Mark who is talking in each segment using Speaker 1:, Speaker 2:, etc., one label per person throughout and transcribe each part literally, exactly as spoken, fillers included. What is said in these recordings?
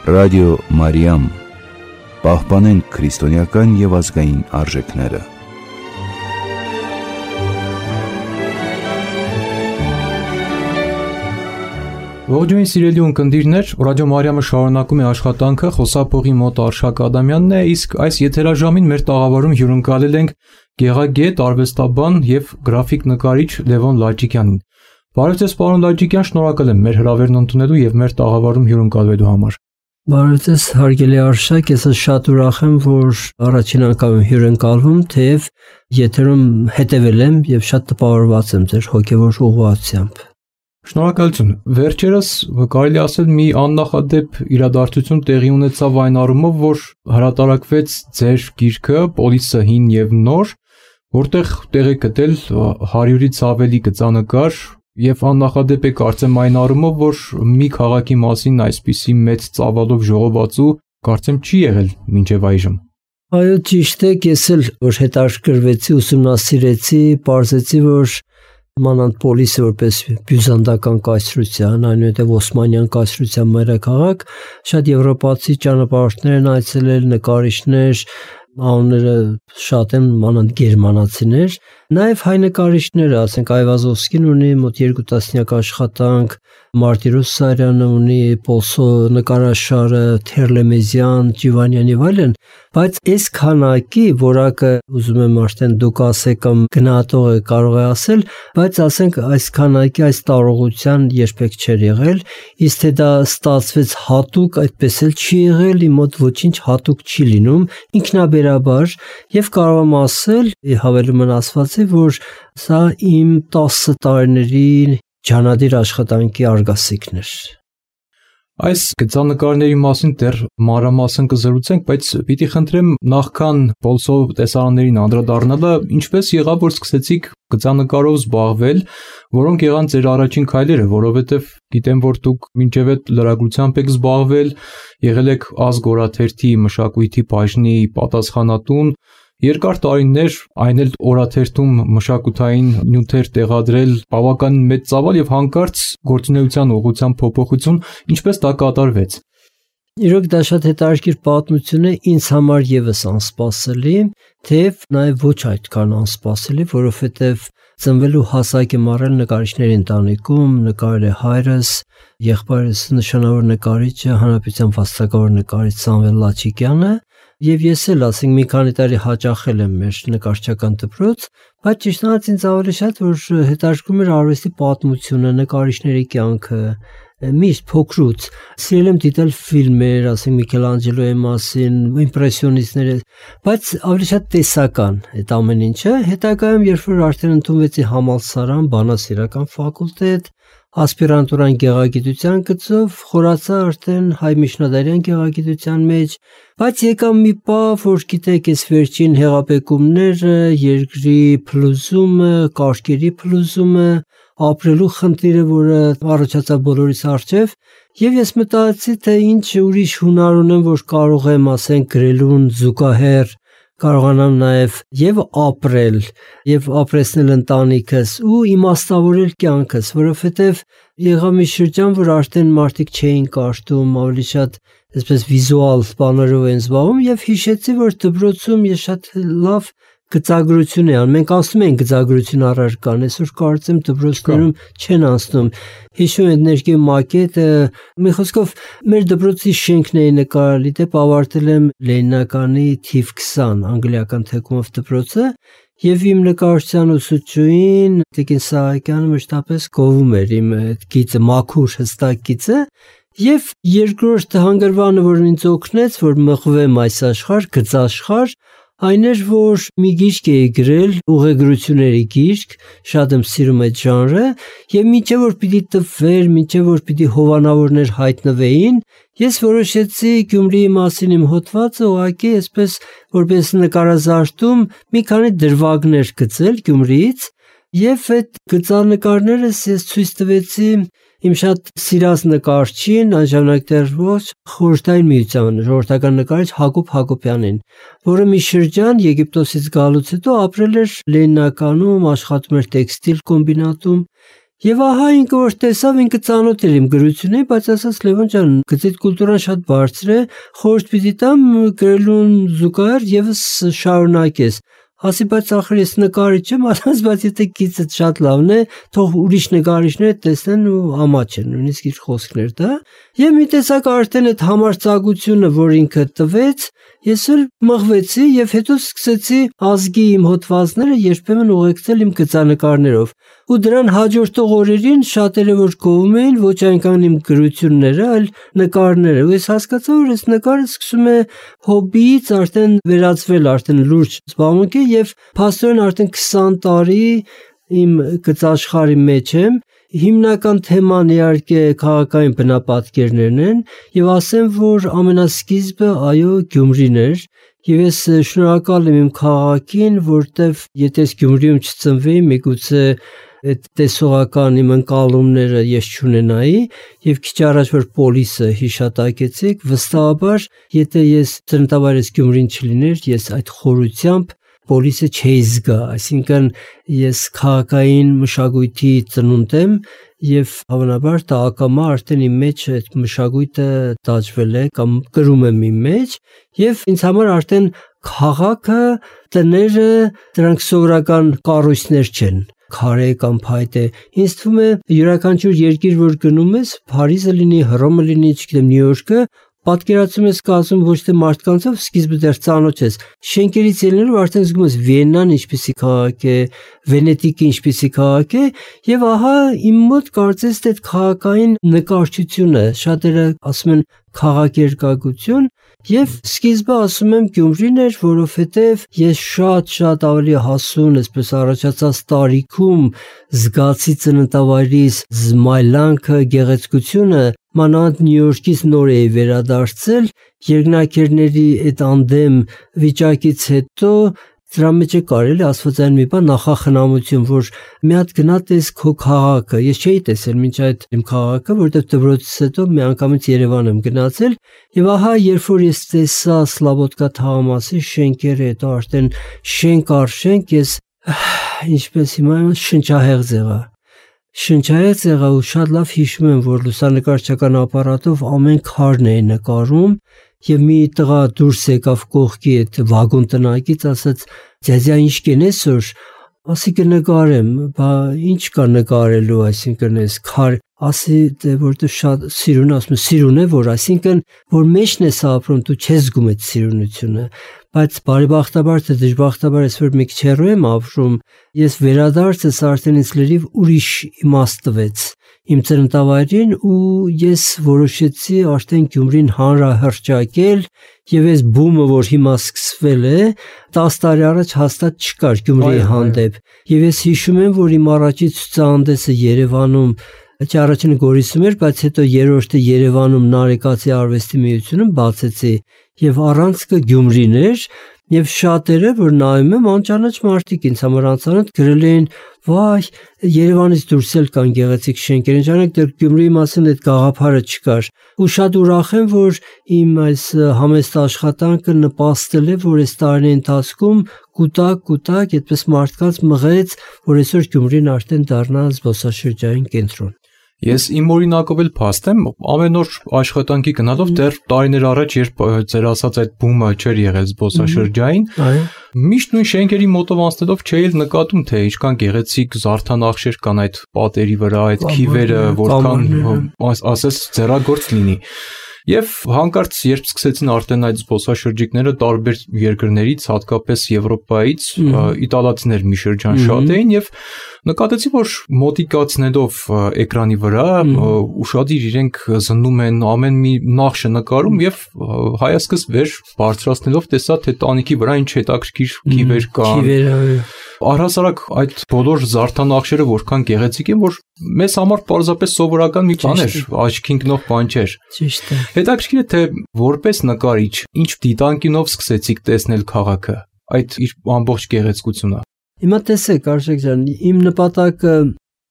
Speaker 1: Ռադիո Մարիամ, պահպանենք քրիստոնեական և ազգային արժեքները։
Speaker 2: Ողջույն սիրելի ունկնդիրներ, Ռադիո Մարիամը շարունակում է աշխատանքը, խոսափողի մոտ Արշակ Ադամյանն է, իսկ այս եթերաժամին մեր տաղավարում հյուրընկալել ենք գեղագետ, արվեստաբան և գրաֆիկ նկարիչ Լևոն Լաչիկյանին։ Բարև ձեզ, պարոն Լաչիկյան, շնորհակալ եմ մեր հրավերն ընդունելու և մեր տաղավարում հյուրընկալվելու համար։
Speaker 3: Բարև ձեզ, հարգելի Արշակ, ես շատ ուրախ եմ, որ առաջին անգամ եմ հյուրընկալվում, թեև եթերում հետևել եմ և շատ տպավորված եմ ձեր հոգևոր ուղղվածությամբ։
Speaker 2: Շնորհակալություն։ Վերջերս կարելի ասել մի աննախադեպ իրադարձություն տեղի ունեցավ այն առումով, որ հրատարակվեց ձեր գիրքը Պոլիսը հին և նոր, որտեղ տեղ է գտել հարյուրից ավելի գծանկար և աննախադեպ է կարծեմ այն առումով, որ մի քաղաքի մասին այսպիսի մեծ ծավալով ժողովածու կարծեմ չի եղել մինչև այժմ։
Speaker 3: Այո, ճիշտ է, ես էլ որ հետաքրքրվեցի, ուսումնասիրեցի, պարզեցի, որ մանավանդ Պոլիսը որպես բյուզանդական կայսրության, այնուհետև Օսմանյան կայսրության մայրաքաղաք, շատ եվրոպացի ճանապարհորդներ են այցելել, նկարիչներ, անունները շատ են, մանավանդ գերմանացիներ, նաև հայ նկարիչները, ասենք Այվազովսկին ունի մոտ երկու տասնյակ աշխատանք, Մարտիրոս Սարյանը ունի Պոլսո նկարաշարը, Թերլեմեզյան, Ջիվանյան եւ այլն, բայց այս քանակի որակը ուզում եմ արդեն դուք ասեք կամ գնահատողը կարող է ասել, բայց ասենք այս քանակի այս տարողության երբեք չէր եղել, իսկ թե դա ստացվեց հատուկ, այդպես էլ չի եղել, իմ մոտ ոչինչ հատուկ չի լինում, ինքնաբերաբար եւ կարող եմ ասել, հավելումն ասվածի, որ սա իմ տասը տարիների ջանադիր աշխատանքի արգասիքն էր։
Speaker 2: Այս գծանկարների մասին դեռ մանրամասն կզրուցենք, բայց պիտի խնդրեմ նախքան Պոլսո տեսարաններին անդրադառնալը, ինչպես եղավ, որ սկսեցիք գծանկարով զբաղվել, որոնք եղան ձեր առաջին քայլերը, որովհետև գիտեմ, որ դուք մինչև այդ լրագրությամբ եք զբաղվել, եղել եք Ազգ օրաթերթի մշակույթի բաժնի պատասխանատուն, երկար տարիներ այն էլ օրաթերթում մշակութային նյութեր տեղադրել, բավականին մեծ ծավալ եւ հանկարծ գործունեության ուղղության փոփոխություն, ինչպես դա կատարվեց։
Speaker 3: Իրոք դա շատ հետաքրքիր պատմություն է, ինձ համար եւս անսպասելի, թեև նաեւ ոչ այդքան անսպասելի, որովհետեւ ծնվելու հասակ եմ առել նկարիչների ընտանիքում, նկարել է հայրս, եղբայրս նշանավոր նկարիչ է, հանրապետության վաստակավոր նկարիչ Սամվել Լաչիկյանը, եւ ես էլ ասենք մի քանի տարի հաճախել եմ մեր նկարչական դպրոց, բայց ճիշտն ասած ինձ ավելի շատ որ հետաքրքրում էր արվեստի պատմությունը, նկարիչների կյանքը, միշտ փոքրուց սիրել եմ դիտել ֆիլմեր, ասենք Միքելանջելոյի մասին, իմպրեսիոնիստները, բայց ավելի շատ տեսական այդ ամեն ինչը, հետագայում երբ որ արդեն ընդունվեցի համալսարան, բանասիրական ֆակուլտետ, ասպիրանտուրան գեղագիտության գծով, խորացա արդեն հայ միջնադարյան գեղագիտության մեջ, բայց եկավ մի պահ, որ գիտեք, այս վերջին հեղափոխումները, երկրի փլուզումը, կարգերի փլուզումը, ապրելու խնդիրը, որը առաջացավ բոլորիս առջև, եւ ես մտածեցի, թե ինչ ուրիշ հունար ունեմ, որ կարող եմ, ասենք, գրելուն զուգահեռ կարողանամ նաև եւ ապրել եւ ապրեցնել ընտանիքս ու իմաստավորել կյանքս, որովհետեւ եղավ մի շրջան, որ արդեն մարդիկ չէին կարդում, ավելի շատ այսպես վիզուալ բաներով են զբաղվում եւ հիշեցի, որ դպրոցում ես շատ լավ գծագրություն է անում։ Մենք ասում ենք գծագրություն առարկան, այսօր կարծեմ դպրոցներում չեն անցնում։ Հիշում եմ ներքև մակետը, մի խոսքով մեր դպրոցի շենքն էի նկարել, դեպ ավարտել եմ Լենինականի թիվ քսան անգլիական թեկումով դպրոցը եւ իմ նկարչության ուսուցչուհին Տիկին Սահակյանը մշտապես գովում էր իմ այդ գիծը, մաքուր հստակ գիծը եւ երկրորդ հանգրվանը, որ ինձ օգնեց, որ մղվեմ այս աշխարհ, գծաշխարհ, այն էր, որ մի գիրք էի գրել, ուղեգրությունների գիրք, շատ եմ սիրում այդ ժանրը, եւ մինչեւ որ պիտի տվեր, մինչեւ որ պիտի հովանավորներ հայտնվեին, ես որոշեցի Գյումրիի մասին իմ հոդվածը ուղղակի այսպես որպես նկարազարդում մի քանի դրվագներ գծել Գյումրիից, եւ այդ գծանկարներս ես ցույց տվեցի իմ շատ սիրած նկարչին, այն ժամանակ դեռ ոչ խորհրդային միության ժողովրդական նկարիչ Հակոբ Հակոբյանին, որը մի շրջան Եգիպտոսից գալուց հետո ապրել էր Լենինականում, աշխատում էր տեքստիլ կոմբինատում Եվ ահա ինքը որ տեսավ, ինքը ծանոթ էր իմ գրությունին, բայց ասաց Լևոն ջան, գծիդ կուլտուրան շատ բարձր է, խորհուրդ պիտի տամ գրելուն զուգահեռ եւս շարունակես։ Ասի, բայց ախր ես նկարիչ եմ, ասած, բայց եթե գիծդ շատ լավն է, թող ուրիշ նկարիչներ տեսնեն ու ամաչեն, նույնիսկ իր խոսքներ դա։ Եվ մի տեսակ արդեն այդ համարձակությունը, որ ինքը տվեց, ես էլ մղվեցի եւ հետո սկսեցի ազգի իմ հոդվածները երբեմն ուղեկցել իմ գծանկարներով։ Ու դրան հաջորդող օրերին շատերը որ գովում էին ոչ այնքան իմ գրությունները, այլ նկարները։ Ու ես հասկացա, որ այս նկարը սկսում է հոբբիից արդեն վերածվել արդեն լուրջ զբաղմունքի եւ փաստորեն արդեն քսան տարի իմ գծաշխարհի մեջ եմ։ Հիմնական թեման իհարկե քաղաքային բնապատկերներն են եւ ասեմ, որ ամենասկիզբը այո Գյումրին էր եւ ես շնորհակալ եմ իմ քաղաքին, որտեվ եթե ես Գյումրիում չծնվեի, միգուցե այդ տեսողական իմ ընկալումները ես չունենայի եւ քիչ առաջ որ պոլիսը հիշատակեցիք, վստահաբար եթե ես ծննդավայրս Գյումրին չլիներ, ես այդ խորությամբ պոլիսը չէի զգա, այսինքն ես քաղաքային մշակույթի ծնունդ եմ եւ հավանաբար դա ակամա արդեն իմ մեջ այդ մշակույթը դաջվել է կամ կրում եմ իմ մեջ եւ ինձ համար արդեն քաղաքը, տները դրանք սովորական կառույցներ չեն, քարե կամ փայտե։ Ինձ թվում է յուրաքանչյուր երկիր որ գնում ես, Փարիզը լինի, Հռոմը լինի, չգիտեմ Նյու Յորքը, պատկերացում ես կազմում ոչ թե մարդկանցով, սկիզբը դեռ ծանոթ ես։ Շենքերից ելնելով արդեն զգում ես Վիեննան ինչպիսի քաղաք է, Վենետիկը ինչպիսի քաղաք է, եւ ահա իմ մոտ կարծես թե այդ քաղաքային նկարչությունը, շատերը ասում են քաղաքերկրագություն, եւ սկիզբը ասում եմ Գյումրին էր, որովհետեւ ես շատ-շատ ավելի հասուն, այսպես առաջացած տարիքում զգացի ծննդավայրիս զմայլանքը, գեղեցկությունը, մանավանդ Նյու Յորքից նոր էի վերադարձել, երկնաքերների այդ անդեմ վիճակից հետո դրա մեջ է կարելի աստվածային մի բան նախախնամություն, որ մի հատ գնա տես քո քաղաքը, ես չէի տեսել մինչ այդ իմ քաղաքը, որտեղ դպրոցից հետո մի անգամից Երևան եմ գնացել, եւ ահա երբ որ ես տեսա Սլավոդկա թաղամասի շենքերը, հետո արդեն շենք առ շենք, ես ինչպես հիմա շնչահեղձ եղա։ Շնչահեղձ եղա ու շատ լավ հիշում եմ, որ լուսանկարչական ապարատով ամեն քարն էի նկարում եւ մի տղա դուրս եկավ կողքի այդ վագոն տնակից, ասաց ձեզյա ինչ կենես որ, ասի կնկարեմ, բա ինչ կա նկարելու, այսինքն այս քար, ասի դե որտեղ շատ սիրուն, ասում սիրուն է որ, այսինքն որ մեջն ես ապրում, դու չես զգում այդ սիրունությունը, բայց բարեբախտաբար թե դժբախտաբար ես որ մի քիչ հեռու եմ ապրում, ես վերադարձս արդեն ինձ լրիվ ուրիշ իմաստ տվեց իմ ծննդավայրին ու ես որոշեցի արդեն Գյումրին հանրահռչակել եւ այս բումը որ հիմա սկսվել է տասը տարի առաջ հաստատ չկար Գյումրիի հանդեպ եւ ես հիշում եմ որ իմ առաջի ցուցահանդեսը Երևանում Չէ առաջինը Գորիսում էր, բայց հետո երրորդը Երևանում Նարեկացի արվեստի միությունում բացեցի եւ առանցքը Գյումրին էր եւ շատերը որ նայում եմ անճանաչ մարդիկ ինձ համար անծանոթ գրել էին վայ Երևանից դուրս էլ կան գեղեցիկ շենքեր ինչանակ դեռ Գյումրիի մասին այդ գաղափարը չկար ու շատ ուրախ եմ որ իմ այս համեստ աշխատանքը նպաստել է որ այս տարիների ընթացքում կուտակ կուտակ այդպես մարդկանց մղեց որ այսօր Գյումրին արդեն դառնա զբոսաշրջային կենտրոն
Speaker 2: Ես իմ օրինակով էլ փաստ եմ, ամեն օր աշխատանքի գնալով դեռ տարիներ առաջ, երբ ձեր ասած այդ բումը չէր եղել զբոսաշրջային, միշտ նույն շենքերի մոտով անցնելով չէի էլ նկատում, թե ինչքան գեղեցիկ զարդանախշեր կան այդ պատերի վրա, այդ քիվերը, որքան ասես ձեռագործ լինի։ Եվ հանկարծ երբ սկսեցին արդեն այդ զբոսաշրջիկները տարբեր երկրներից, հատկապես Եվրոպայից, իտալացիներ մի շրջան շատ էին եւ նկատեցի, որ մոտիկացնելով էկրանի վրա ուշադիր իրենք զննում են ամեն մի նախշը նկարում եւ հայացքս վեր բարձրացնելով տեսա, թե տանիքի վրա ինչ հետաքրքիր քիվեր կան։ Առհասարակ այդ բոլոր զարդանախշերը որքան գեղեցիկ են, որ մեզ համար պարզապես սովորական մի բան էր, աչքին ընկնող բան չէր։
Speaker 3: Ճիշտ է։
Speaker 2: Հետաքրքիր է, թե որպես նկարիչ ինչ դիտանկյունով սկսեցիք տեսնել քաղաքը, այդ իր ամբողջ գեղեցկությունը։
Speaker 3: Հիմա տեսեք, Արշակ ջան, իմ նպատակը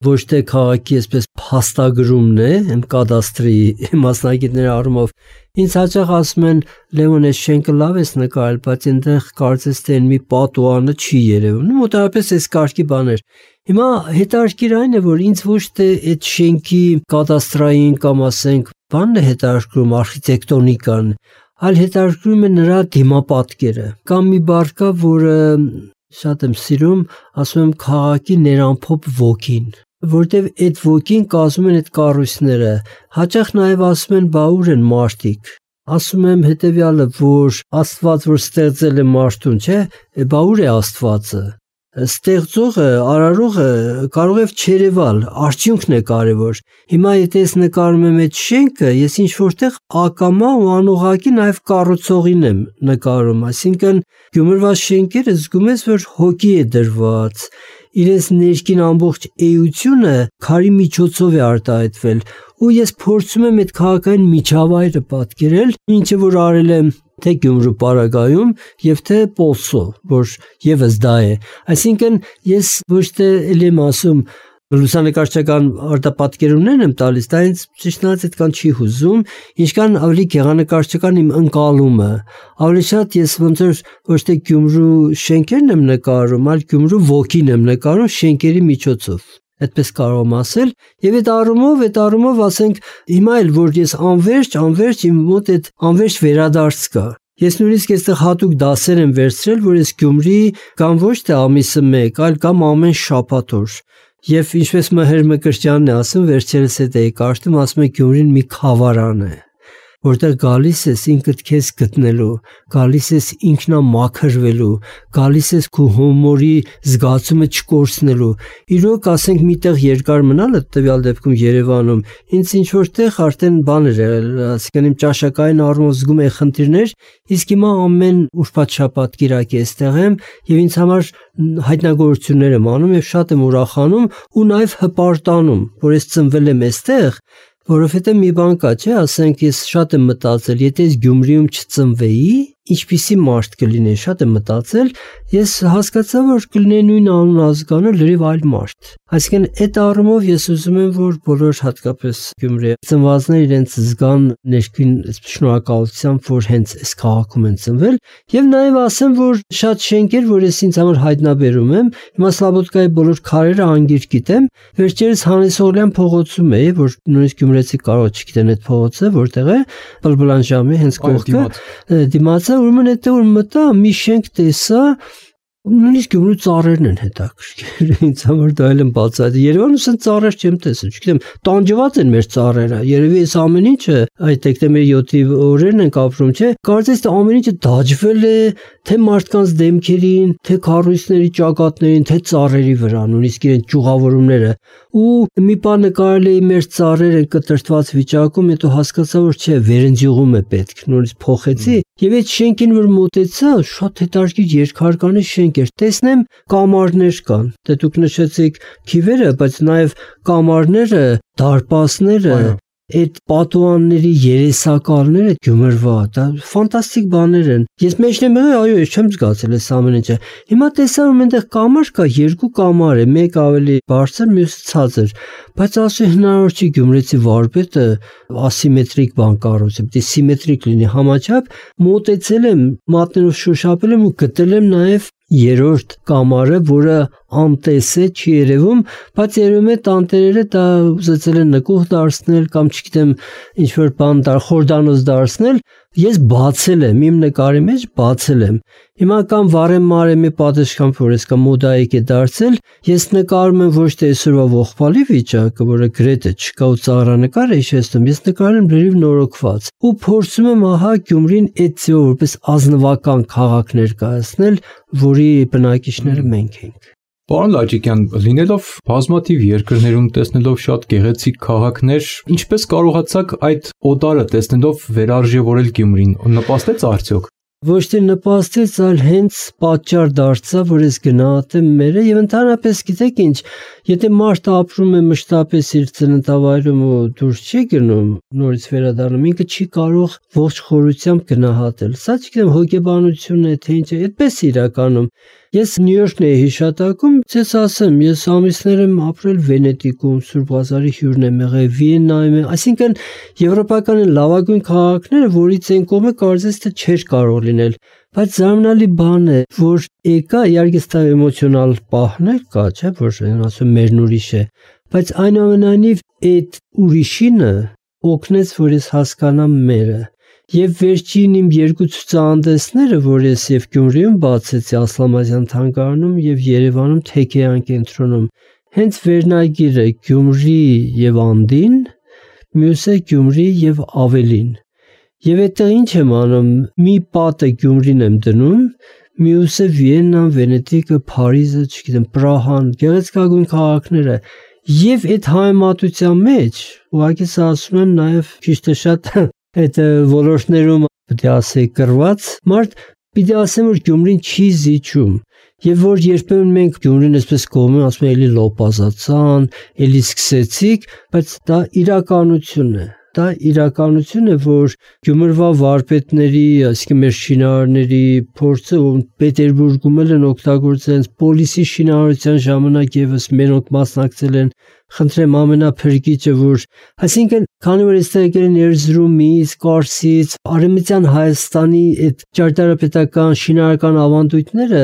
Speaker 3: ոչ թե քաղաքի այսպես փաստագրումն է, այն կադաստրի մասնագետների առումով, Ինձ հաճախ ասում են Լևոն, այս շենքը լավ ես նկարել, բայց այնտեղ կարծես թե մի պատուանը չի երևում։ Մոտավորապես այս կարգի բաներ։ Հիմա հետաքրքիր այն է, որ ինձ ոչ թե այդ շենքի կադաստրային կամ ասենք բանն է հետաքրքրում, արխիտեկտոնիկան, այլ հետաքրքրում է նրա դիմապատկերը։ Կամ մի բառ կա, որը շատ եմ սիրում, ասում եմ քաղաքի ներամփոփ ոգին, որտեվ այդ ոգին կազմում են այդ կառույցները։ Հաճախ նաև ասում են, բա ուր են մարդիկ։ Ասում եմ հետևյալը, որ Աստված որ ստեղծել է մարդուն, չէ, բա ուր է Աստվածը։ Ստեղծողը, արարողը կարող է չերևալ, արդյունքն է կարևոր։ Հիմա եթե ես նկարում եմ այդ շենքը, ես ինչ որտեղ ակամա ու անուղղակի նաև կառուցողին եմ նկարում, այսինքն Գյումրվա շենքերը զգում ես, որ հոգի է դրված, իրենց ներքին ամբողջ էությունը քարի միջոցով է արտահայտվել, ու ես փորձում եմ այդ քաղաքային միջավայրը պատկերել, ինչը որ արել եմ թե Գյումրու պարագայում եւ թե Պոլսո, որ եւս դա է։ Այսինքն ես ոչ թե ելի եմ ասում լուսանկարչական արտապատկերումներն եմ տալիս, դա ինձ ճիշտ ասած այդքան չի հուզում, ինչքան ավելի գեղանկարչական իմ ընկալումը։ Ավելի շատ ես ոնց որ ոչ թե Գյումրու շենքերն եմ նկարում, այլ Գյումրու ոգին եմ նկարում շենքերի միջոցով։ Այդպես կարող եմ ասել, եւ այդ առումով, այդ առումով ասենք հիմա էլ որ ես անverջ, անverջ իմ մոտ այդ անverջ վերադարձ կա։ Ես նույնիսկ այստեղ հատուկ դասեր եմ վերցրել, որ ես Գյումրի կամ ոչ թե ամիսը մեկ, այլ կամ ամեն շաբաթ օր։ Եվ ինչպես Մհեր Մկրտչյանն է ասում, վերջերս այդ էի կարդում, ասում է Գյումրին մի խավարան է, որտեղ գալիս ես ինքդ քեզ գտնելու, գալիս ես ինքնամաքրվելու, գալիս ես քո հումորի զգացումը չկորցնելու։ Իրոք ասենք միտեղ երկար մնալը, տվյալ դեպքում Երևանում, ինձ ինչ որտեղ արդեն բան էր եղել, ասիկան իմ ճաշակային առումով զգում էի խնդիրներ, իսկ հիմա ամեն ուրբաթ շաբաթ կիրակի էստեղ եմ եւ ինձ համար հայտնագործություններ եմ անում եւ շատ եմ ուրախանում ու նաեւ հպարտանում, որ ես ծնվել եմ էստեղ, որովհետեւ մի բան կա, չէ, ասենք ես շատ եմ մտածել, եթե ես Գյումրիում չծնվեի, ինչպիսի մարդ կլինեի, շատ եմ մտածել, ես հասկացա, որ կլինեի նույն անուն ազգանը լրիվ այլ մարդ։ Այսինքն այդ առումով ես ուզում եմ, որ բոլոր հատկապես Գյումրի ծնվածները իրենց զգան ներքին շնորհակալությամբ, որ հենց այս քաղաքում են ծնվել, եւ նաեւ ասեմ, որ շատ շենքեր, որ ես ինձ համար հայտնաբերում եմ, հիմա Սլաբոդկայի բոլոր քարերը անգիր գիտեմ, վերջերս Հանեսօղլյան փողոցում էի, որ նույնիսկ գյումրեցի կարող չգիտեն այդ փողոցը, որտեղ է Բլբլանժամի հենց կողքը, դիմացը, ուրեմն այդտեղ որ մտա, մի շենք տեսա, նույնիսկ Գյումրու ծառերն են հետաքրքիր, ինձ համար դա էլ եմ բացատրել։ Երևանում ասեն ծառեր չեմ տեսել, չգիտեմ, տանջված են մեր ծառերը, երևի այս ամեն ինչը, այդ դեկտեմբերի յոթի օրերն ենք ապրում, չէ՞, կարծես թե ամեն ինչը դաջվել է, թե մարդկանց դեմքերին, թե քառույցների ճակատներին, թե ծառերի վրա, նույնիսկ իրեն ճյուղավորումները։ Ու մի բան նկարել էի մեր ծառերը կտրտված վիճակում, հետո հասկացա, որ չէ, վերընձյուղում է պետք, նույնիսկ փոխեցի, եւ այդ շենքին որ մոտեցա, շատ հետաքրքիր երկհարկանի շենք էր, տեսնեմ կամարներ կան, դե դուք նշեցիք քիվերը, բայց նաեւ կամարները, դարպասները, այդ պատուանների երեսակալները Գյումրվա, դա ֆանտաստիկ բաներ են։ Ես մեջն եմ եղել, այո, ես չեմ զգացել այս ամեն ինչը։ Հիմա տեսա որ այնտեղ կամար կա, երկու կամար է, մեկ ավելի բարձր, մյուսը ցածր, բայց ասի հնարավոր չի գյումրեցի վարպետը ասիմետրիկ բան կառուցի, պետք է սիմետրիկ լինի համաչափ, մոտեցել եմ, մատներով շոշափել եմ ու գտել եմ նաև երրորդ կամարը, որը անտես է, չի երևում, բայց երևում է տանտերերը դա ուզեցել են նկուղ դարձնել կամ չգիտեմ ինչ որ բան դար խորդանոց դարձնել, ես բացել եմ, իմ նկարի մեջ բացել եմ։ Հիմա կամ վարեմ մարեմի պատշգամբ, որ ես կամ մոդայիկ է դարձել, ես նկարում եմ ոչ թե այսօրվա ողբալի վիճակը, որը գրեթե չկա ու ծաղրանկար է հիշեցնում, ես նկարել եմ լրիվ նորոգված ու փորձում եմ ահա Գյումրին այդ ձևով որպես ազնվական քաղաք ներկայացնել, որի բնակիչները մենք ենք։
Speaker 2: Պարոն Լաչիկյան, լինելով բազմաթիվ երկրներում, տեսնելով շատ գեղեցիկ քաղաքներ, ինչպես կարողացաք այդ օտարը տեսնելով վերարժևորել Գյումրին, նպաստեց արդյոք։
Speaker 3: Ոչ թե նպաստեց, այլ հենց պատճառ դարձավ, որ ես գնահատեմ մերը եւ ընդհանրապես գիտեք ինչ, եթե մարդը ապրում է մշտապես իր ծննդավայրում ու դուրս չի գնում, նորից վերադառնում, ինքը չի կարող ողջ խորությամբ գնահատել։ Սա չգիտեմ հոգեբանություն է թե ինչ է, այդպես իրականում։ Ես Նյու Յորքն էի հիշատակում, ցես ասեմ, ես ամիսներ եմ ապրել Վենետիկում, Սուրբ Ղազարի հյուրն եմ եղել, Վիեննայում եմ, այսինքն եվրոպական լավագույն քաղաքները, որից այն կողմը կարծես թե չէր կարող լինել, բայց զարմանալի բան է, որ եկա, իհարկե ստա էմոցիոնալ պահներ կա, չէ՞, որ ասում մերն ուրիշ է, բայց այնուամենայնիվ այդ ուրիշինը օգնեց, որ ես հասկանամ մերը։ Եվ վերջին իմ երկու ցուցահանդեսները, որ ես եւ Գյումրիում բացեցի Ասլամազյան թանգարանում եւ Երևանում Թեքեյան կենտրոնում, հենց վերնագիրը Գյումրի եւ Անդին, մյուսը Գյումրի եւ ավելին։ Եվ այդտեղ ինչ եմ անում, մի պատը Գյումրին եմ դնում, մյուսը Վիեննան, Վենետիկը, Փարիզը, չգիտեմ, Պրահան, գեղեցկագույն քաղաքները։ Եվ այդ համեմատության մեջ, ուղղակի ասում եմ նաեւ քիչ թե շատ այդ ոլորտներում պետք է ասեի կրված մարդ պիտի ասեմ որ Գյումրին չի զիջում եւ որ երբեմն մենք Գյումրին այսպես կողմում ասում ենք էլի լոպազացան, էլի սկսեցիք, բայց դա իրականություն է։ Դա իրականություն է, որ Գյումրվա վարպետների, այսինքն մեր շինարարների փորձը Պետերբուրգում են օգտագործել պոլիսի շինարարության ժամանակ եւս մենոք մասնակցել են խնդրեմ ամենափրկիչը որ այսինքն քանի որ այստեղ եկել են Էրզրումից, Կարսից, Արևմտյան Հայաստանի այդ ճարտարապետական շինարարական ավանդույթները,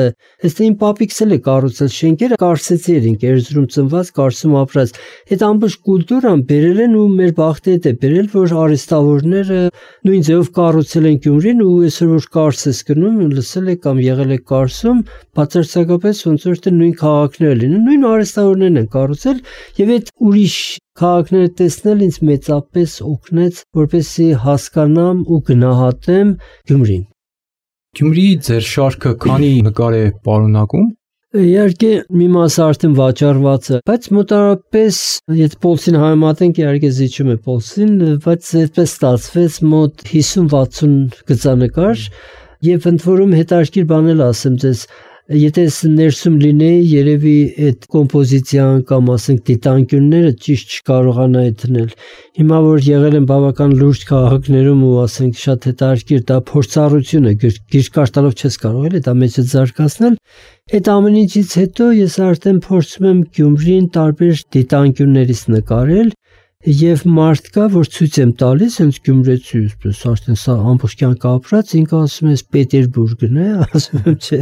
Speaker 3: այստեղ իմ պապիկս էլ է կառուցել շենքերը, Կարսեցի երինք Էրզրում ծնված, Կարսում ապրած։ Այդ ամբողջ կուլտուրան բերել են ու մեր բախտը է բերել, որ արհեստավորները նույն ձևով կառուցել են Գյումրին ու այսօր որ Կարս ես գնում, լսել եք կամ եղել եք Կարսում, բացարձակապես ոնց որ թե նույն քաղաքները լինեն, նույն արհեստավորներն են կառուցել եւ այդ ուրիշ քաղաքները տեսնել ինձ մեծապես օգնեց, որպեսզի հասկանամ ու գնահատեմ Գյումրին։
Speaker 2: Գյումրիի ձեր շարքը քանի նկար է պարունակում։
Speaker 3: Իհարկե մի մասը արդեն վաճառված է, բայց մոտավորապես եթե Պոլսին համեմատենք, իհարկե զիջում է Պոլսին, բայց այդպես ստացվեց մոտ հիսուն վաթսուն գծանկար եւ ընդ որում հետաքրքիր բան էլ ասեմ ձեզ, եթե ներսում լինեի, երևի այդ կոմպոզիցիան կամ ասենք դիտանկյունները ճիշտ չկարողանայի դնել։ Հիմա որ եղել եմ բավական լուրջ քաղաքներում ու ասենք շատ հետաքրքիր դա փորձառություն է, գիրք տալով չես կարող էլի դա մեջը զարգացնել։ Այդ ամեն ինչից հետո ես արդեն փորձում եմ Գյումրին տարբեր դիտանկյուններից նկարել եւ մարդ կա որ ցույց եմ տալիս հենց Գյումրեցի այսպես արդեն սա ամբողջ կյանք ապրած ինքը ասում է Պետերբուրգն է ասում եմ չէ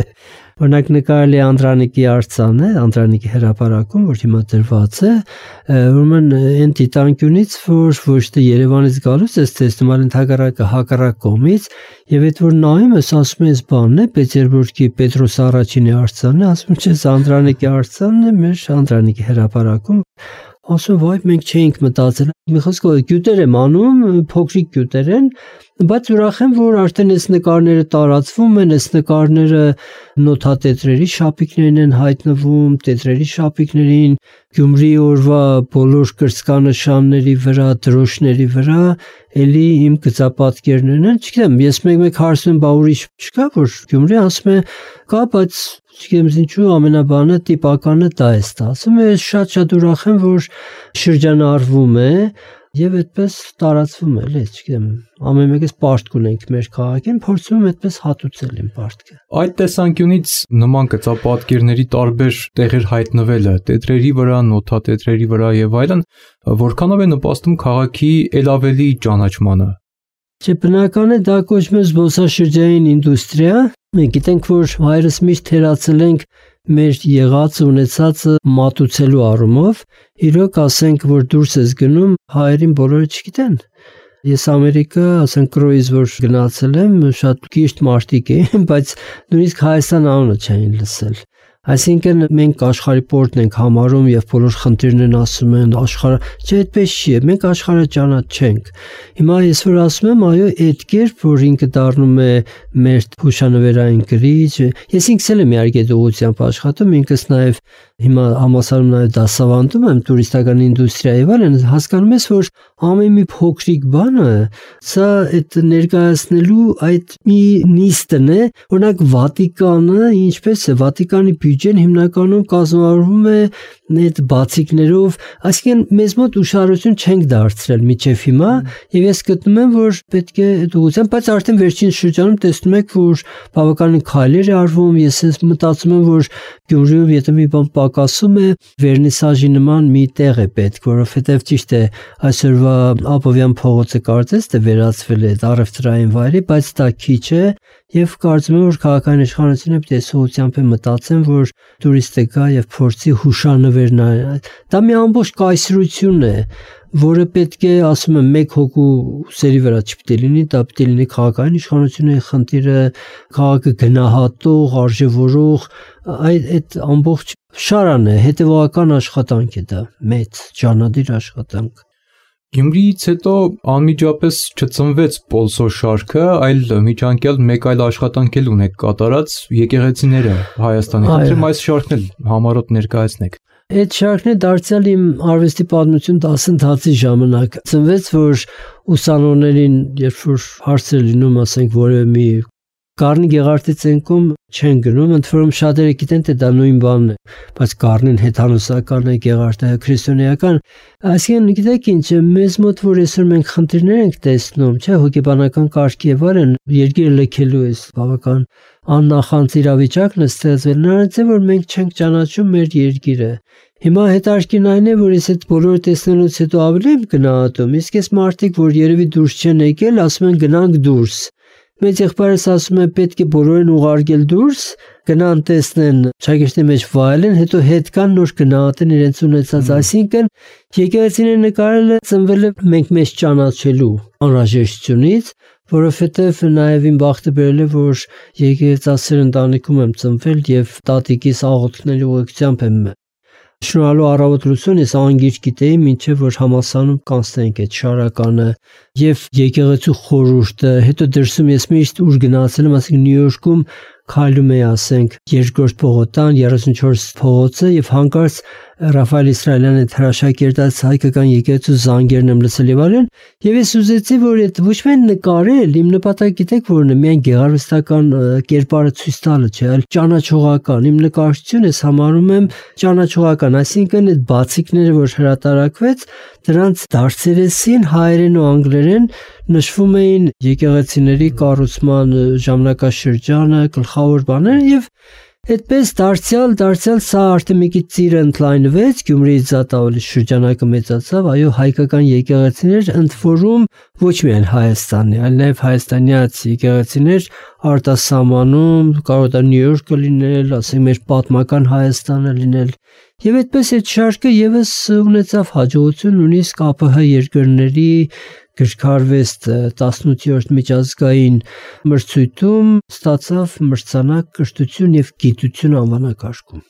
Speaker 3: օրինակ նկարել է Անդրանիկի արձանը Անդրանիկի հրապարակում որ հիմա դրված է ուրեմն այն դիտանկյունից որ ոչ թե Երևանից գալուց էս տեսնում այլ ընդհակառակը հակառակ կողմից եւ այդ որ նայում ես ասում ես բանն է Պետերբուրգի Պետրոս առաջինի արձանն է ասում չէ Անդրանիկի արձանն է մեր Անդրանիկի հրապարակում ասում վայ մենք չէինք մտածել մի խոսքով գյուտեր եմ անում փոքրիկ գյուտեր են բայց ուրախ եմ որ արդեն այս նկարները տարածվում են այս նկարները նոթատետրերի շապիկներն են հայտնվում տետրերի շապիկներին Գյումրի օրվա բոլոր կրծքանշանների վրա դրոշների վրա էլի իմ գծապատկերներն են չգիտեմ ես մեկ-մեկ հարցնում եմ բա ուրիշ չկա որ Գյումրի ասում է կա բայց չգիտեմ ինչու ամենաբանը տիպականը դա է ստացվում ես շատ-շատ ուրախ եմ որ շրջանառվում է եւ այդպես տարածվում է էլի չգիտեմ ամեն մեկս պարտք ունենք մեր քաղաքին փորձում եմ այդպես հատուցել իմ պարտքը
Speaker 2: այդ տեսանկյունից նման գծապատկերների տարբեր տեղեր հայտնվելը տետրերի վրա նոթատետրերի վրա եւ այլն որքանով է նպաստում քաղաքի ել ավելի ճանաչմանը
Speaker 3: Չէ բնական է դա կոչվում է զբոսաշրջային ինդուստրիա մենք գիտենք որ հայրս միշտ թերացել ենք մեր եղած ունեցածը մատուցելու առումով իրոք ասենք որ դուրս ես գնում հայերին բոլորը չգիտեն ես Ամերիկա ասենք կրոյից որ գնացել եմ շատ կիշտ մարդիկ էին բայց նույնիսկ Հայաստան անունը չէին լսել այսինքն մենք աշխարհի պորտն ենք համարում եւ բոլոր խնդիրներն ասում են աշխարհը չէ այդպես չի մենք աշխարհը ճանաչենք հիմա ես որ ասում եմ այո այդ կերպ որ ինքը դառնում է մեր հուշանվերային գրիչ ես ինքս էլ եմ իհարկե դողությամբ աշխատում ինքս նաեւ հիմա համասարում նաեւ դասավանդում եմ տուրիստական ինդուստրիայի վարեն հասկանում ես որ ամեն մի փոքրիկ բանը սա այդ ներկայացնելու այդ մի նիստն է օրինակ Վատիկանը ինչպես է Վատիկանի բյուջեն հիմնականում կազմավորվում է այդ բացիկներով, այսինքն մեզ մոտ ուշադրություն չենք դարձրել մինչև հիմա, եւ ես գտնում եմ, որ պետք է այդ ուղղությամբ, բայց արդեն վերջին շրջանում տեսնում եք, որ բավականին քայլեր է արվում, ես ես մտածում եմ, որ Գյումրիում եթե մի բան պակասում է, վերնիսաժի նման մի տեղ է պետք, որովհետեւ ճիշտ է այսօրվա Աբովյան փողոցը կարծես թե վերածվել է առևտրային վայրի, բայց դա քիչ է եւ կարծում եմ, որ քաղաքային իշխանությունը պետք է սոցիալությամբ մտածեն, որ տուրիստը գա եւ փորձի հուշանվեր նայել։ Դա մի ամբողջ կայսրություն է, որը պետք է, ասում եմ, մեկ հոգու սերի վրա չպետք է լինի, դա պետք է լինի քաղաքային իշխանությունը խնդիրը, քաղաքը գնահատող, արժևորող, այդ այդ ամբողջ շարան է, հետևողական աշխատանք է դա, մեծ ջանադիր աշխատանք։
Speaker 2: Գյումրիից հետո անմիջապես չծնվեց Պոլսո շարքը, այլ միջանկյալ մեկ այլ աշխատանք էլ ունեք կատարած եկեղեցիները Հայաստանի։ Խնդրեմ այս շարքն էլ համառոտ ներկայացնեք։
Speaker 3: Այդ շարքն է դարձյալ իմ արվեստի պատմություն դասընթացի ժամանակ։ Ծնվեց, որ ուսանողներին, երբ որ հարցեր լինում, ասենք, որևէ մի Գառնի Գեղարդի ցենքում չեն գնում, ընդ որում շատերը գիտեն, թե դա նույն բանն է, բայց Գառնին հեթանոսական է, Գեղարդը քրիստոնեական։ Այսինքն, գիտեք ինչ, մեզ մոտ որ այսօր մենք խնդիրներ ենք տեսնում, չէ, հոգեբանական կարգի եւ այլն, երկիրը լքելու է բավական աննախանձ իրավիճակն է ստեղծվել, նրանից է, որ մենք չենք ճանաչում մեր երկիրը։ Հիմա հետաքրքիրն այն է, որ ես այդ բոլորը տեսնելուց հետո ավելի եմ գնահատում, իսկ այս մարդիկ, որ երևի դուրս չեն եկել, ասում են գնանք դուրս։ Մեծ եղբայրս ասում է պետք է բոլորին ուղարկել դուրս, գնան տեսնեն շագեշտի մեջ վայելեն, հետո հետ կան նոր գնահատեն իրենց ունեցած, այսինքն եկեղեցիները նկարել է ծնվել է մենք մեզ ճանաչելու անհրաժեշտությունից, որովհետև նաև իմ բախտը բերել է, որ եկեղեցասեր ընտանիքում եմ ծնվել եւ տատիկիս աղոթքների ուղեկցությամբ եմ շնորհալու առավոտ լուսուն ես անգիր գիտեի, մինչև որ համալսարանում կանցնենք այդ շարականը եւ եկեղեցու խորհուրդը, հետո դրսում ես միշտ ուր գնացել եմ, ասենք Նյու Յորքում քայլում էի, ասենք, երկրորդ փողոցան, երեսունչորս փողոցը եւ հանկարծ Ռաֆայել Իսրայելյանը հրաշագերտած հայկական եկեղեցու զանգերն եմ լսել եւ այլն, եւ ես ուզեցի, որ այդ ոչ միայն նկարել, իմ նպատակը գիտեք որն է, միայն գեղարվեստական կերպարը ցույց տալը չէ, այլ ճանաչողական։ Իմ նկարչությունը ես համարում եմ ճանաչողական, այսինքն այդ բացիկները, որ հրատարակվեց, դրանց դարձերեսին հայերեն ու անգլերեն նշվում էին եկեղեցիների կառուցման ժամանակաշրջանը, գլխավոր բաները եւ այդպես դարձյալ դարձյալ սա արդեն մի քիչ ծիրը ընդլայնվեց, Գյումրիից զատ ավելի շրջանակը մեծացավ, այո, հայկական եկեղեցիներ ընդ որում ոչ միայն Հայաստանի, այլ նաև հայաստանյաց եկեղեցիներ արտասահմանում, կարող է Նյու Յորքը լինել, ասենք մեր պատմական Հայաստանը լինել։ Եվ այդպես այդ շարքը եւս ունեցավ հաջողություն, նույնիսկ ԱՊՀ երկրների գրքարվեստ տասնութերորդ միջազգային մրցույթում ստացավ մրցանակ կրթություն եւ գիտություն անվանակարգում։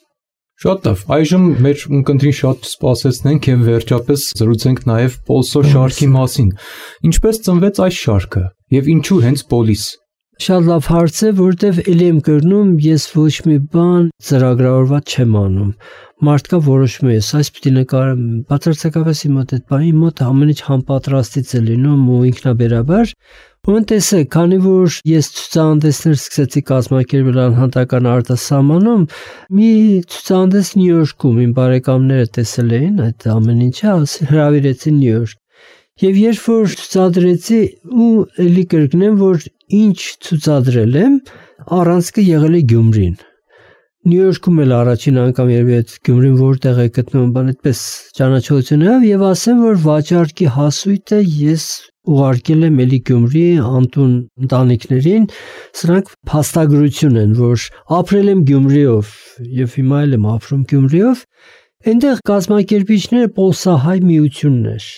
Speaker 2: Շատ լավ, այժմ մեր ունկնդրին շատ սպասեցնենք եւ վերջապես զրուցենք նաեւ Պոլսո շարքի մասին։ Ինչպես ծնվեց այս շարքը եւ ինչու հենց Պոլիս։
Speaker 3: Շատ լավ հարց է, որտեվ ելի եմ կրնում, ես ոչ մի բան ծրագրավորված չեմ անում։ Մարդկա որոշում է, այս պիտի նկարեմ, բացարձակապես իմ մոտ այդ բանի մոտ ամեն ինչ համապատրաստից է լինում ու ինքնաբերաբար։ Ուրեմն տեսեք, քանի որ ես ցուցահանդեսներ սկսեցի կազմակերպել անհատական արտասահմանում, մի ցուցահանդես Նյու Յորքում իմ բարեկամները տեսել էին այդ ամեն ինչը, հրավիրեցին Նյու Յորք։ Եվ երբ որ ցուցադրեցի ու էլի կրկնեմ, որ ինչ ցուցադրել եմ, առանցքը եղել է Գյումրին։ Նյու Յորքում էլ առաջին անգամ երբ այդ Գյումրին որտեղ է գտնվում, բան այդպես ճանաչողություն եղավ եւ ասեմ, որ վաճառքի հասույթը ես ուղարկել եմ էլի Գյումրի անտուն ընտանիքներին, սրանք փաստագրություն են, որ ապրել եմ Գյումրիով եւ հիմա էլ եմ ապրում Գյումրիով, այնտեղ կազմակերպիչները Պոլսահայ միությունն էր։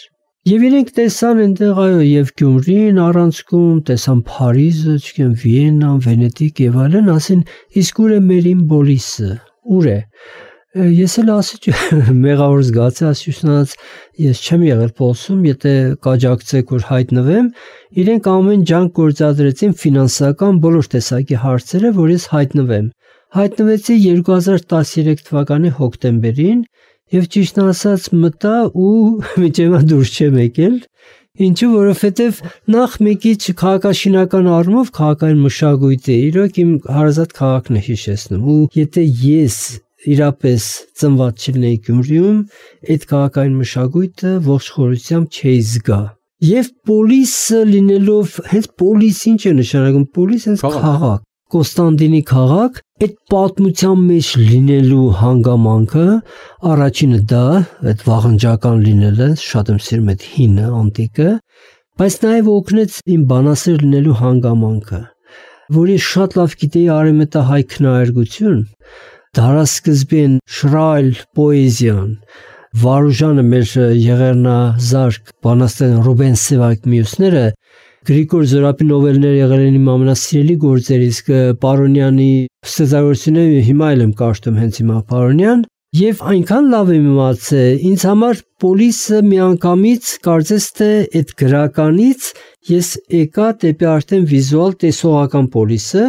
Speaker 3: Եվ իրենք տեսան այնտեղ այո եւ Գյումրին առանցքում, տեսան Փարիզը, չգիտեմ, Վիեննան, Վենետիկ եւ այլն, ասին իսկ ուր է մերին Պոլիսը, ուր է։ Ես էլ ասի մեղավոր զգացի, ասյուշնաց ես չեմ եղել Պոլսում, եթե կաջակցեք որ հայտնվեմ, իրենք ամեն ջանք գործադրեցին ֆինանսական բոլոր տեսակի հարցերը, որ ես հայտնվեմ։ Հայտնվեցի երկու հազար տասներեք թվականի հոկտեմբերին Եվ ճիշտն ասած մտա ու միջևա դուրս չեմ եկել Ինչու, որովհետև նախ մեկի քաղաքաշինական առումով քաղաքային մշակույթը իրոք իմ հարազատ քաղաքն է հիշեցնում, ու եթե ես իրապես ծնված չլինեի Գյումրիում, այդ քաղաքային մշակույթը ողջ խորությամբ չէի զգա։ Եվ պոլիսը լինելով, հենց պոլիս ինչ է նշանակում, պոլիս հենց քաղաք, Կոստանդինի քաղաք, այդ պատմության մեջ լինելու հանգամանքը, առաջինը դա, այդ վաղնջական լինելը, շատ եմ սիրում այդ հինը, անտիկը, բայց նաև օգնեց իմ բանասեր լինելու հանգամանքը, որ ես շատ լավ գիտեի արևմտահայ քնահարգություն, դարասկզբին շրայլ պոեզիան, Վարուժանը մեր եղեռնազարկ բանաստեղծ Ռուբեն Սևակ մյուսները Գրիգոր Զորապի նովելները եղել են իմ ամենասիրելի գործերից, Պարոնյանի ստեղծագործությունները հիմա էլ եմ կարդում հենց հիմա Պարոնյան, եւ այնքան լավ եմ իմացել, ինձ համար պոլիսը միանգամից կարծես թե այդ գրականից ես եկա դեպի արդեն վիզուալ տեսողական պոլիսը,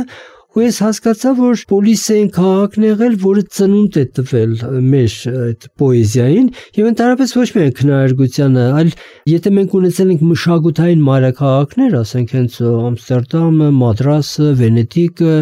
Speaker 3: ու ես հասկացա, որ պոլիսը այն քաղաքն եղել, որը ծնունդ է տվել մեր այդ պոեզիային եւ ընդհանրապես ոչ միայն քնահարգությանը, այլ եթե մենք ունեցել ենք մշակութային մայրաքաղաքներ, ասենք հենց Ամստերդամը, Մադրասը, Վենետիկը,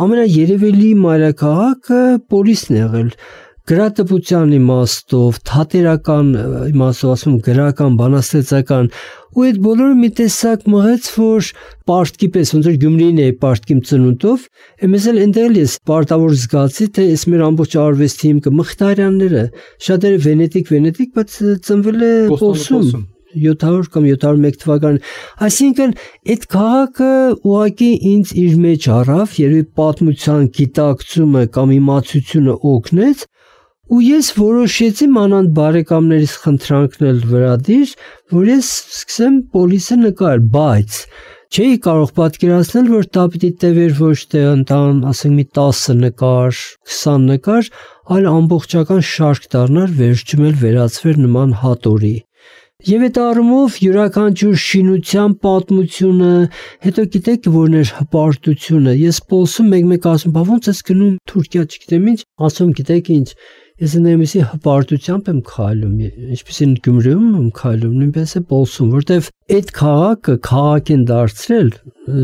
Speaker 3: ամենաերևելի մայրաքաղաքը պոլիսն է եղել։ Գրատպության իմաստով, թատերական իմաստով, ասում գրական, բանաստեղծական, ու այդ բոլորը մի տեսակ մղեց, որ պարտքի պես, ոնց որ Գյումրին է պարտքիմ ծնունդով, εμείς էլ ընդել ես պարտավոր զգացի, թե այս մեր ամբողջ արվեստի հիմքը Մխիթարյանները, շատերը Վենետիկ, Վենետիկ, բայց ծնվել է Պոլսում, յոթ հարյուր կամ յոթ հարյուր մեկ թվական, այսինքն այդ քաղաքը ուղղակի ինձ իր մեջ առավ, երևի պատմության գիտակցումը կամ իմացությունը օգնեց, ու ես որոշեցի մանանդ բարեկամներից խնդրանքնել վրադիր, որ ես սկսեմ պոլիսը նկարել, բայց չէի կարող պատկերացնել, որ դա պիտի տևեր ոչ թե ընտան, ասենք մի տասը նկար, քսան նկար, այլ ամբողջական շարք դառնար, վերջում էլ վերածվեր նման հատորի։ Եվ այդ առումով յուրաքանչյուր շինության պատմությունը, հետո գիտեք որն էր հպարտությունը, ես Պոլսում մեկ-մեկ ասում, բա ոնց ես գնում Թուրքիա, չգիտեմ ինչ, ասում գիտեք ինչ, ես այնպեսի հպարտությամբ եմ քայլում, ինչպեսին Գյումրիում եմ քայլում, նույնպես է Պոլսում, որտեվ այդ քաղաքը քաղաք են դարձրել,